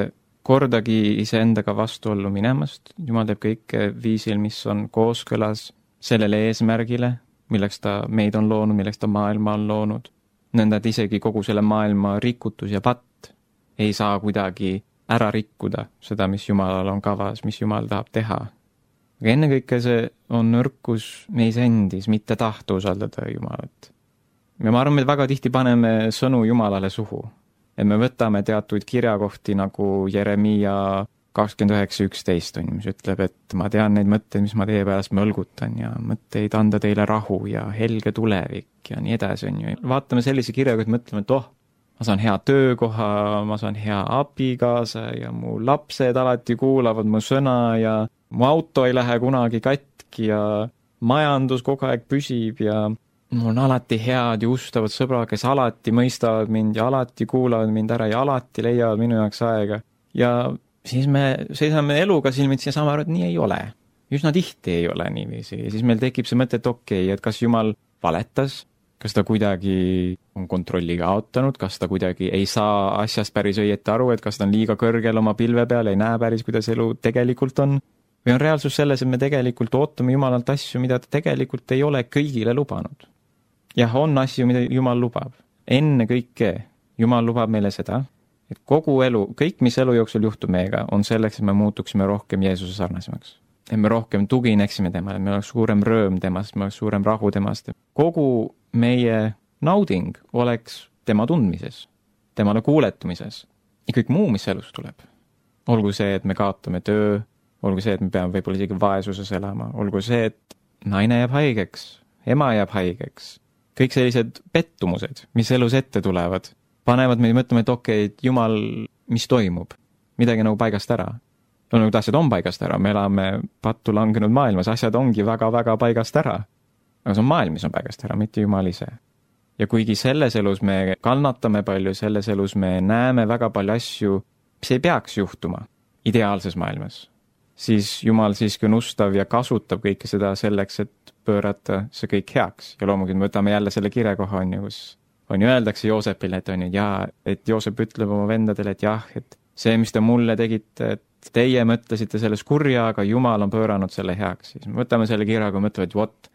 kordagi iseendaga vastuollu minemast. Jumal teeb kõike viisil, mis on kooskõlas sellele eesmärgile, milleks ta meid on loonud, milleks ta maailma on loonud. Nõnda, et isegi kogu selle maailma rikutus ja patt ei saa kuidagi ära rikkuda seda, mis Jumalal on kavas, mis Jumal tahab teha. Aga ennekõike see on nõrkus meis endis, mitte tahta usaldada Jumalat. Ja ma arvan, me väga tihti paneme sõnu Jumalale suhu. Et me võtame teatud kirjakohti nagu Jeremiia 29.11, mis ütleb, et ma tean neid mõtteid, mis ma teie pärast mõlgutan ja mõtteid anda teile rahu ja helge tulevik ja nii edasi on ju. Vaatame sellise kirjaga, et mõtleme, et ma saan hea töökoha, ma saan hea abikaasa ja mu lapsed alati kuulavad mu sõna ja mu auto ei lähe kunagi katki ja majandus kogu aeg püsib ja mul on alati head ja ustavad sõbrad, kes alati mõistavad mind ja alati kuulavad mind ära ja alati leiavad minu jaoks aega. Ja siis me seisame eluga silmitsi ja saame aru, et nii ei ole. Üsna tihti ei ole niiviisi. Ja siis meil tekib see mõte, et okei, et kas Jumal valetas, kas ta kuidagi on kontrolli kaotanud, kas ta kuidagi ei saa asjast päris õieti aru, et kas ta on liiga kõrgel oma pilve peal, ei näe päris, kuidas elu tegelikult on. Või on reaalsus selles, et me tegelikult ootame Jumalalt asju, mida ta tegelikult ei ole kõigile lubanud. Jah, on asju, mida Jumal lubab. Enne kõike Jumal lubab meile seda, et kogu elu, kõik, mis elu jooksul juhtub meiega, on selleks, et me muutuksime rohkem Jeesuse sarnasemaks. Et me rohkem tugineksime temale, me oleks suurem rõõm temast, me oleks suurem rahu temast. Kogu meie nauding oleks tema tundmises, temale kuuletumises ja kõik muu, mis elus tuleb. Olgu see, et me kaotame töö, olgu see, et me peame võib-olla isegi vaesuses elama, olgu see, et naine jääb haigeks, ema jääb haigeks. Kõik sellised pettumused, mis elus ette tulevad, panevad meid mõtlema, et okei, Jumal, mis toimub? Midagi nagu paigast ära. Nagu asjad on paigast ära, me elame pattu langenud maailmas, asjad ongi väga-väga paigast ära. Aga see on maailm, mis on paigast ära, mitte Jumal ise. Ja kuigi selles elus me kannatame palju, selles elus me näeme väga palju asju, mis ei peaks juhtuma ideaalses maailmas, siis Jumal siiski on ustav ja kasutab kõike seda selleks, et pöörata see kõik heaks. Ja loomulikult me võtame jälle selle kirjakoha, kus on ju öeldakse Joosepile, et on ju, et Joosep ütleb oma vendadele, et jah, et see, mis te mulle tegite, et teie mõtlesite selles kurja, aga Jumal on pööranud selle heaks. Siis me võtame selle kirjaga ja mõtleme, et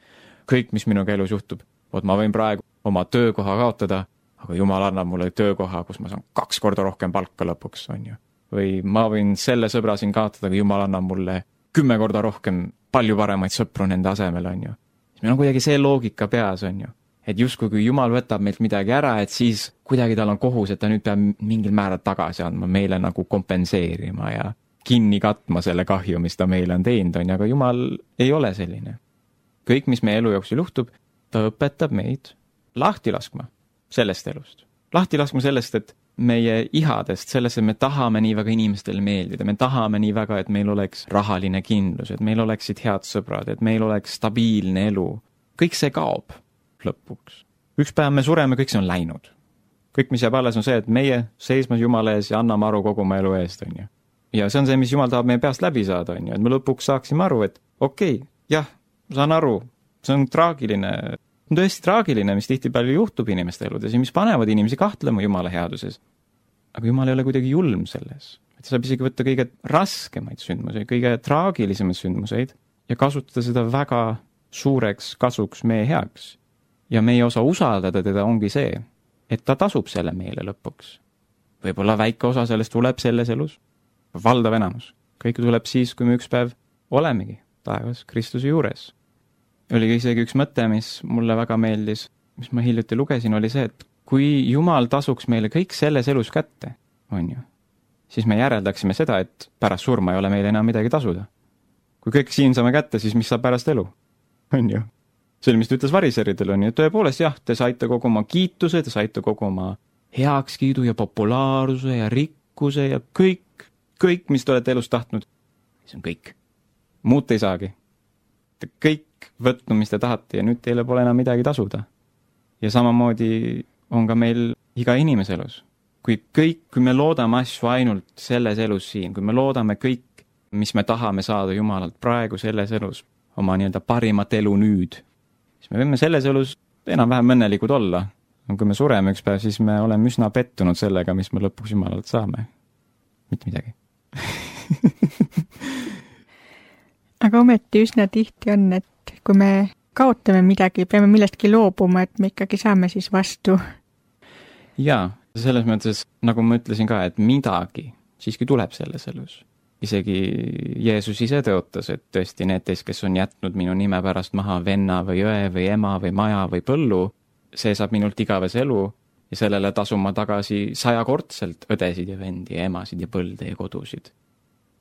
kõik, mis minuga elus juhtub, ma võin praegu oma töökoha kaotada, aga Jumal annab mulle töökoha, kus ma saan 2 korda rohkem palka lõpuks, on ju. Või ma võin selle sõbra siin kaotada, aga Jumal annab mulle 10 korda rohkem palju paremaid sõpru nende asemel, on ju. Meil on kuidagi see loogika peas, on ju. Et justkui kui Jumal võtab meilt midagi ära, et siis kuidagi tal on kohus, et ta nüüd peab mingil määral tagasi andma, meile nagu kompenseerima ja kinni katma selle kahju, mis ta meile on teinud, on ju, aga Jumal ei ole selline. Kõik, mis meie elu jooksul juhtub, ta õpetab meid lahti laskma sellest elust. Lahti laskma sellest, et meie ihadest, sellest, et me tahame nii väga inimestele meeldida, me tahame nii väga, et meil oleks rahaline kindlus, et meil oleksid head sõbrad, et meil oleks stabiilne elu. Kõik see kaob lõpuks. Üks päev me sureme, kõik see on läinud. Kõik, mis jääb alles, on see, et meie seisma Jumala ees ja anname aru kogu oma elu eest, on ju. Ja see on see, mis Jumal tahab meie peast läbi saada, on ju. Et me lõpuks saaksime aru, et okei, jah, saan aru, see on traagiline. On tõesti traagiline, mis tihti palju juhtub inimeste eludes ja mis panevad inimesi kahtlema Jumala headuses. Aga Jumal ei ole kuidagi julm selles. Et saab isegi võtta kõige raskemaid sündmuseid, kõige traagilisemaid sündmuseid ja kasutada seda väga suureks kasuks meie heaks. Ja meie osa usaldada teda ongi see, et ta tasub selle meile lõpuks. võib-olla väike osa sellest tuleb selles elus, valdav enamus. Kõik tuleb siis, kui me üks päev olemegi taevas Kristuse juures. Oli isegi üks mõte, mis mulle väga meeldis, mis ma hiljuti lugesin, oli see, et kui Jumal tasuks meile kõik selles elus kätte, on ju, siis me järeldaksime seda, et pärast surma ei ole meile enam midagi tasuda. Kui kõik siin saame kätte, siis mis saab pärast elu? On ju. See oli, mis ta ütles variseridel, on ju. Tõepoolest, jah, te saite kogu oma kiituse, te saite kogu oma heakskiidu ja populaarsuse ja rikkuse ja kõik, mis te olete elus tahtnud. See on kõik. Muud te ei saagi. Te kõik võtnud, mis te tahate ja nüüd teile pole enam midagi tasuda. Ja samamoodi on ka meil iga inimese elus. Kui me loodame asju ainult selles elus siin, kui me loodame kõik, mis me tahame saada Jumalalt praegu selles elus, oma nii-öelda parimat elu nüüd, siis me võime selles elus enam-vähem õnnelikud olla. Kui me sureme üks päev, siis me oleme üsna pettunud sellega, mis me lõpuks Jumalalt saame. Mitte midagi. Aga ometi üsna tihti on, et kui me kaotame midagi, peame millestki loobuma, et me ikkagi saame siis vastu. Jaa, selles mõttes, nagu ma ütlesin ka, et midagi siiski tuleb selles elus. Isegi Jeesus ise tõotas, et tõesti need teist, kes on jätnud minu nime pärast maha venna või õe või ema või maja või põllu, see saab minult igavese elu ja sellele tasun ma tagasi 100-kordselt õdesid ja vendi ja emasid ja põlde ja kodusid.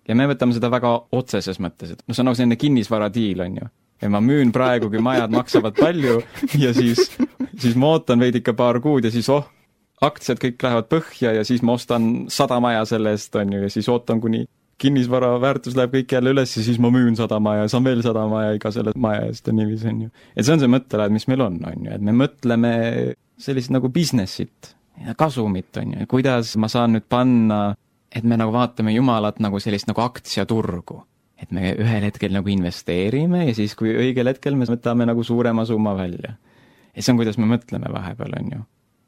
Ja me võtame seda väga otseses mõttes, et see on nagu selline kinnisvaradiil, on ju. Ja ma müün praegu, kui majad maksavad palju ja siis ma ootan veidi ikka paar kuud ja siis aktsiad kõik lähevad põhja ja siis ma ostan 100 maja selle eest, on ju, ja siis ootan, kuni kinnisvara väärtus läheb kõik jälle üles ja siis ma müün 100 maja ja saan veel 100 maja iga selle maja eest ja niiviisi, on ju. Et see on see mõttelaad, mis meil on ju, et me mõtleme sellist nagu businessit ja kasumit, on ju, kuidas ma saan nüüd panna, et me nagu vaatame Jumalat nagu sellist nagu aktsiaturgu, et me ühel hetkel nagu investeerime ja siis, kui õigel hetkel me võtame nagu suurema summa välja. Ja see on, kuidas me mõtleme vahepeal, on ju.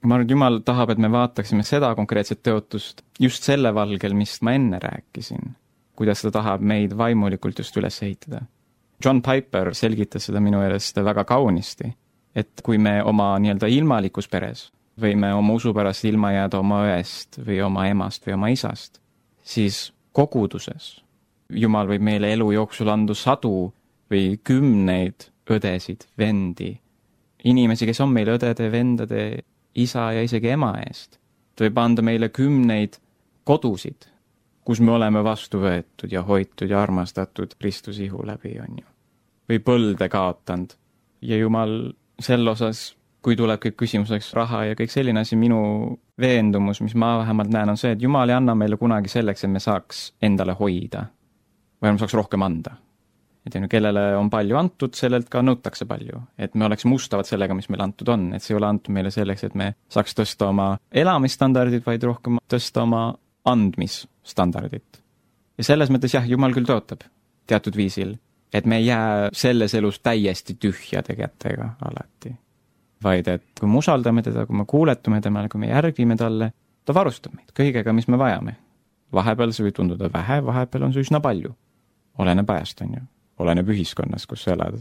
Ma arvan, et Jumal tahab, et me vaataksime seda konkreetset tõotust just selle valgel, mis ma enne rääkisin, kuidas ta tahab meid vaimulikult just üles ehitada. John Piper selgitas seda minu meelest väga kaunisti, et kui me oma nii-öelda ilmalikus peres võime oma usu pärast ilma jääda oma õest või oma emast või oma isast, siis koguduses Jumal võib meile elu jooksul anda 100 või 10 õdesid, vendi, inimesi, kes on meil õdede, vendade, isa ja isegi ema eest. Ta võib anda meile 10 kodusid, kus me oleme vastu võetud ja hoitud ja armastatud Kristuse ihu läbi, on ju. Või põlde kaotanud. Ja Jumal sel osas, kui tuleb kõik küsimuseks raha ja kõik selline asi, minu veendumus, mis ma vähemalt näen, on see, et Jumal ei anna meile kunagi selleks, et me saaks endale hoida. Või me saaks rohkem anda. Et kellele on palju antud, sellelt ka nõutakse palju. Et me oleks mustavad sellega, mis meil antud on. Et see ei ole antud meile selleks, et me saaks tõsta oma elamisstandardid, vaid rohkem tõsta oma andmisstandardit. Ja selles mõttes jah, Jumal küll tõotab teatud viisil, et me ei jää selles elus täiesti tühjade kätega alati. Vaid et kui me usaldame teda, kui me kuuletume temale, kui me järgime talle, ta varustab meid kõigega, mis me vajame. Vahepeal see võib tunduda vähe, vahepeal on see üsna palju. Oleneb ajast, on ju. Oleneb ühiskonnas, kus sa elad.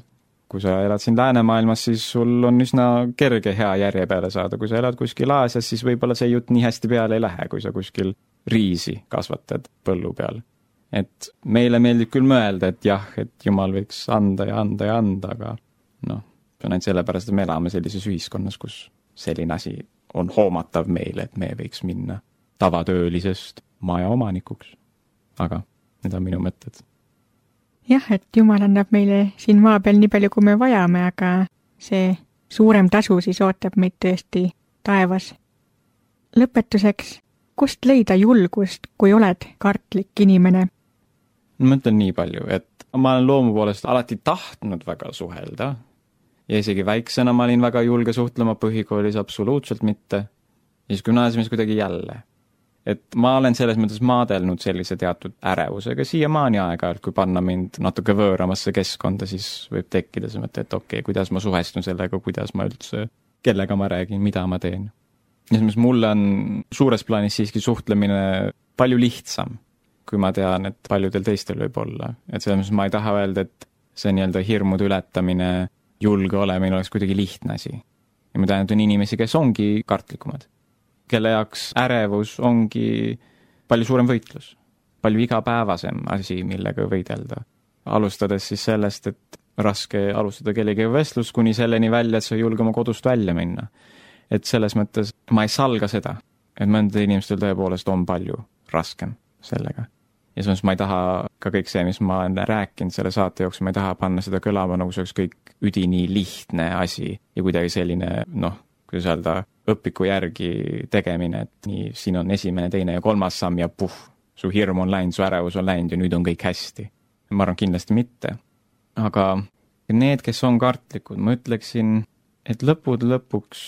Kui sa elad siin läänemaailmas, siis sul on üsna kerge hea järje peale saada. Kui sa elad kuskil Aasias, siis võib-olla see jutt nii hästi peale ei lähe, kui sa kuskil riisi kasvatad põllu peal. Et meile meeldib küll mõelda, et jah, et Jumal võiks anda ja anda ja anda, aga see on ainult sellepärast, et me elame sellises ühiskonnas, kus selline asi on hoomatav meile, et me võiks minna tavatöölisest maja omanikuks. Aga need on minu mõtted. Jah, et Jumal annab meile siin maa peal nii palju, kui me vajame, aga see suurem tasu siis ootab meid tõesti taevas. Lõpetuseks, kust leida julgust, kui oled kartlik inimene? Ma mõtlen nii palju, et ma olen loomu poolest alati tahtnud väga suhelda ja isegi väiksena ma olin väga julge suhtlema, põhikoolis absoluutselt mitte ja siis gümnaasiumis kuidagi jälle. Et ma olen selles mõttes maadelnud sellise teatud ärevusega siiamaani aeg-ajalt, kui panna mind natuke võõramasse keskkonda, siis võib tekkida see mõte, et okei, kuidas ma suhestun sellega, kuidas ma üldse, kellega ma räägin, mida ma teen. Ja siis mulle on suures plaanis siiski suhtlemine palju lihtsam, kui ma tean, et paljudel teistel võib olla. Et selles mõttes ma ei taha öelda, et see nii-öelda hirmude ületamine, julge olemine oleks kuidagi lihtne asi. Ja ma tean, et on inimesi, kes ongi kartlikumad. kelle jaoks ärevus ongi palju suurem võitlus, palju igapäevasem asi, millega võidelda. Alustades siis sellest, et raske alustada kellegi vestlus kuni selleni välja, et sa ei julge oma kodust välja minna. Et selles mõttes ma ei salga seda, et mõnda inimestel tõepoolest on palju raskem sellega. Ja samas ma ei taha ka kõik see, mis ma olen rääkinud selle saate jooksul, ma ei taha panna seda kõlama nagu see oleks kõik üdini lihtne asi ja kuidagi selline, kuidas öelda, õpiku järgi tegemine, et nii, siin on esimene, teine ja kolmas samm ja su hirm on läinud, su ärevus on läinud ja nüüd on kõik hästi. Ma arvan kindlasti mitte. Aga need, kes on kartlikud, ma ütleksin, et lõpuks,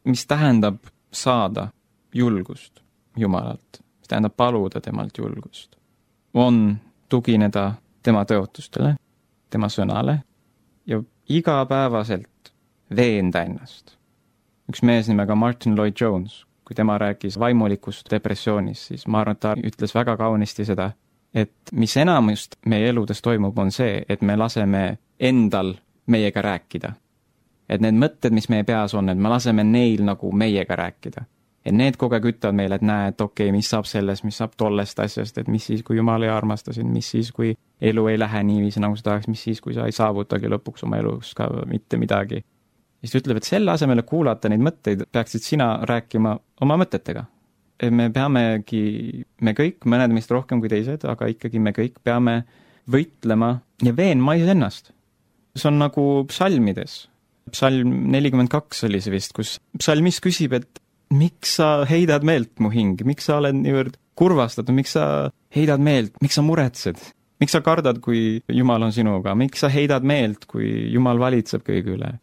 mis tähendab saada julgust Jumalalt, mis tähendab paluda temalt julgust, on tugineda tema tõotustele, tema sõnale ja igapäevaselt veenda ennast. Üks mees nimega Martin Lloyd-Jones, kui tema rääkis vaimulikust depressioonist, siis ma arvan, et ta ütles väga kaunisti seda, et mis enamust meie eludes toimub, on see, et me laseme endal meiega rääkida. Et need mõtted, mis meie peas on, et me laseme neil nagu meiega rääkida. Et need kogu aeg ütlevad meile, et näe, et okei, mis saab sellest, mis saab tollest asjast, et mis siis, kui Jumal ei armasta sind, mis siis, kui elu ei lähe niiviisi, nagu sa tahaks, mis siis, kui sa ei saavutagi lõpuks oma elus ka mitte midagi. Siis ta ütleb, et selle asemele kuulata neid mõtteid, peaksid sina rääkima oma mõtetega. Et me peamegi, me kõik, mõned meist rohkem kui teised, aga ikkagi me kõik peame võitlema ja veenma ennast. See on nagu psalmides. Psalm 42 oli see vist, kus psalmis küsib, et miks sa heidad meelt mu hing, miks sa oled niivõrd kurvastatud, miks sa heidad meelt, miks sa muretsed, miks sa kardad, kui Jumal on sinuga, miks sa heidad meelt, kui Jumal valitseb kõige üle.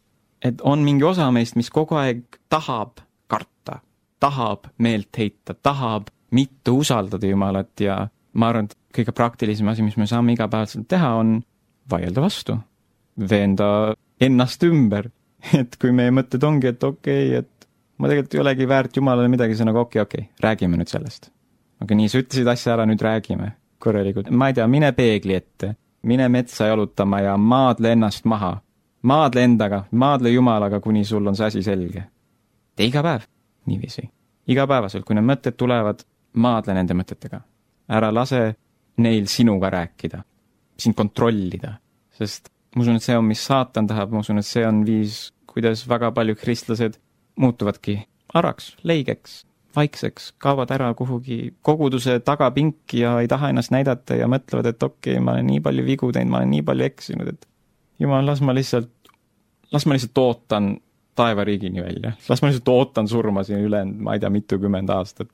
Et on mingi osa meist, mis kogu aeg tahab karta, tahab meelt heita, tahab mitte usaldada Jumalat ja ma arvan, et kõige praktilisem asi, mis me saame igapäevaselt teha, on vaielda vastu, veenda ennast ümber, et kui meie mõtted ongi, et okei, et ma tegelikult ei olegi väärt Jumalale midagi, see nagu okei, räägime nüüd sellest. Aga nii, sa ütlesid asja ära, nüüd räägime korralikult. Ma ei tea, mine peegli ette, mine metsa jalutama ja maadle ennast maha. Maadle endaga, maadle Jumalaga, kuni sul on see asi selge. Tee iga päev, niiviisi. Igapäevaselt, kui need mõtted tulevad, maadle nende mõtetega. Ära lase neil sinuga rääkida, sind kontrollida, sest ma usun, et see on, mis saatan tahab, ma usun, et see on viis, kuidas väga palju kristlased muutuvadki araks, leigeks, vaikseks, kaovad ära kuhugi koguduse tagapinki ja ei taha ennast näidata ja mõtlevad, et okei, ma olen nii palju vigu teinud, ma olen nii palju eksinud, et Jumal, las ma lihtsalt ootan taevariigini välja. Las ma lihtsalt ootan surma siin üle, ma ei tea, mitukümmend aastat.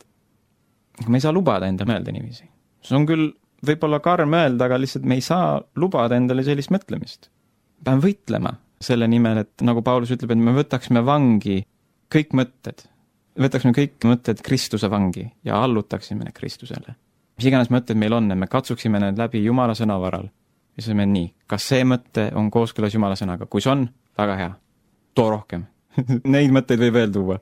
Me ei saa lubada enda mõelda niiviisi. See on küll võib-olla karm öelda, aga lihtsalt me ei saa lubada endale sellist mõtlemist. Peame võitlema selle nimel, et nagu Paulus ütleb, et me võtaksime vangi kõik mõtted. Võtaksime kõik mõtted Kristuse vangi ja allutaksime need Kristusele. Mis iganes mõtted meil on, me katsuksime need läbi Jumala sõna varal. Ja siis me nii, kas see mõte on kooskõlas Jumala sõnaga? Kui see on, väga hea. Too rohkem. Neid mõtteid võib veel tuua.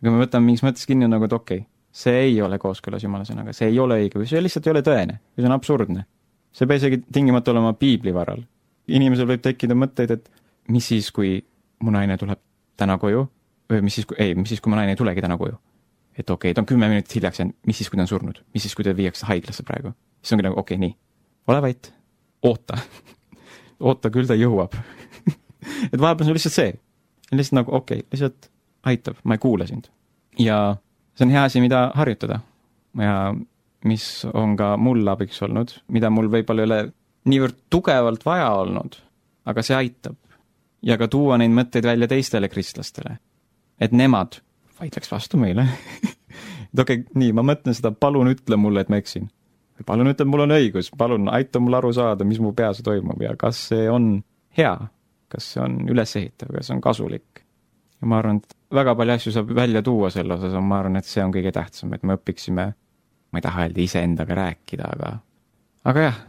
Aga me võtame mingis mõttes kinni nagu, et okei, see ei ole kooskõlas Jumala sõnaga, see ei ole õige, või see lihtsalt ei ole tõene, või see on absurdne. See peab isegi tingimata olema piibli varal. Inimesel võib tekkida mõtteid, et mis siis, kui mu naine tuleb täna koju, või mis siis, kui mu naine ei tulegi täna koju. Et okei, ta on 10 minutit hiljaks jäänud, mis siis, kui ta on surnud, mis siis, kui ta viiakse haiglasse praegu. Siis ongi nagu, okei, nii, ole vait, oota, oota, küll ta jõuab. Et vahepeal on lihtsalt see, lihtsalt nagu okei, lihtsalt aitab, ma ei kuule sind. Ja see on hea asi, mida harjutada ja mis on ka mul abiks olnud, mida mul võib-olla ei ole niivõrd tugevalt vaja olnud, aga see aitab. Ja ka tuua neid mõtteid välja teistele kristlastele, et nemad vaidleks vastu meile. Et okei, nii, ma mõtlen seda, palun ütle mulle, et ma eksin. Palun ütle, mul on õigus, palun aita mul aru saada, mis mu peas toimub ja kas see on hea, kas see on ülesehitav, kas see on kasulik. Ja ma arvan, et väga palju asju saab välja tuua selle osas, ma arvan, et see on kõige tähtsam, et me õpiksime, ma ei taha öelda iseendaga rääkida, aga jah,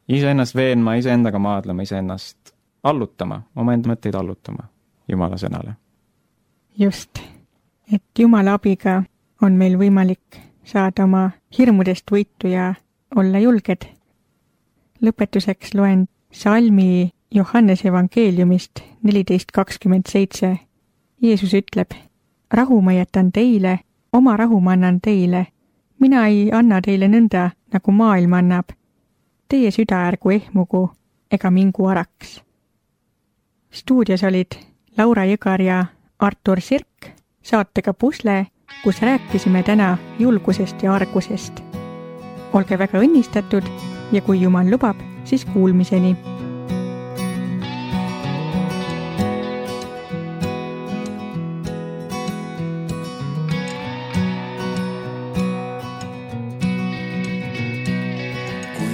iseennast veenma, iseendaga maadlema, iseennast allutama, oma enda mõtteid allutama Jumala sõnale. Just, et Jumala abiga on meil võimalik saada oma hirmudest võitu ja olla julged. Lõpetuseks loen salmi Johannese evangeeliumist 14:27. Jeesus ütleb, rahu ma jätan teile, oma rahu ma annan teile. Mina ei anna teile nõnda, nagu maailm annab. Teie süda ärgu ehmugu ega mingu araks. Stuudios olid Laura Jõgar ja Artur Sirk saatega Pusle, kus rääkisime täna julgusest ja argusest. Olge väga õnnistatud ja kui Jumal lubab, siis kuulmiseni.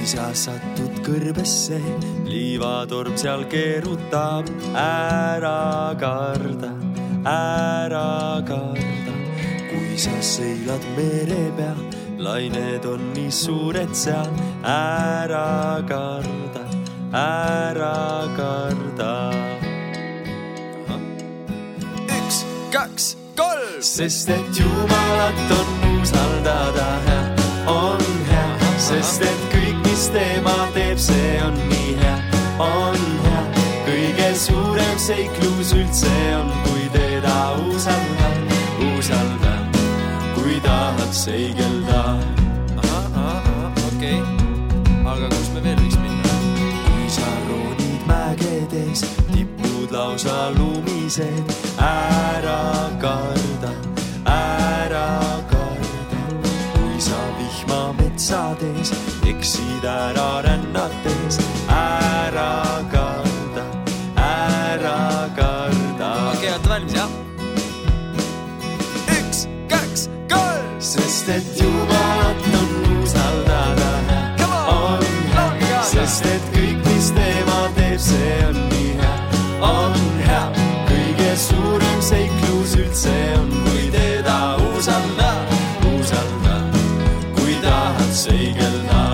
Sa satud kõrbesse, liivatorm seal keerutab, ära karda, ära karda. Kui sa seilad mere peal, lained on nii suured seal, ära karda, ära karda. 1, 2, 3, sest et Jumalat on usaldada hea, on hea, sest et kõik, mis tema teeb, see on nii hea, on hea. Kõige suurem seiklus üldse on, kui teda usalda, usalda, kui tahad seigelda. Okei. Aga kus me veel võiks minna? Kui sa roonid mägedes, tipud lausa lumised, ära karda, ära karda. Kui sa vihma metsades eksid ära rännates, ära karda, ära karda. Okei, olete valmis, jah? 1, 2, 3, sest et Jumalat on usaldada hea, on hea, sest et kõik, mis tema teeb, see on nii hea, on hea. Kõige suurem seiklus üldse on, kui teda usalda, usalda, kui tahad seigelda.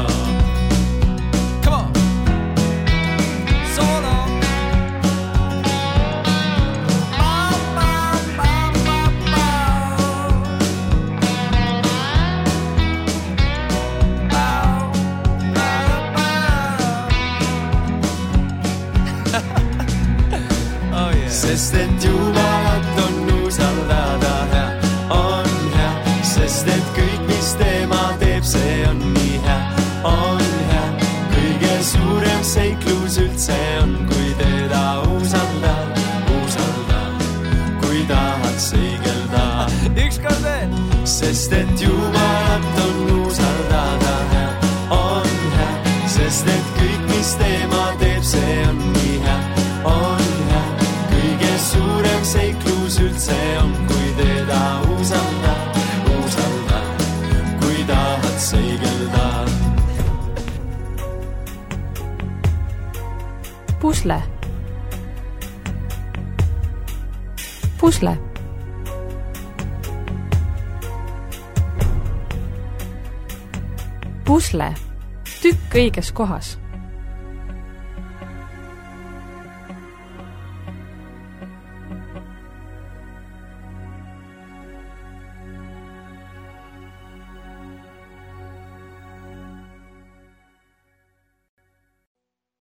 Sest et Jumalat on usaldada hea, on hea, sest et kõik, mis tema teeb, see on nii hea, on hea. Kõige suurem seiklus üldse on, kui teda usalda, usalda, kui tahad seigelda. Ükskord veel! Sest et Jumalat on usaldada hea, on hea, sest et kõik, mis tema teeb, see on nii hea, on hea. Suurem seiklus üldse on, kui teda usalda, usalda, kui tahad seigelda. Pusle. Pusle. Pusle. Tükk õiges kohas.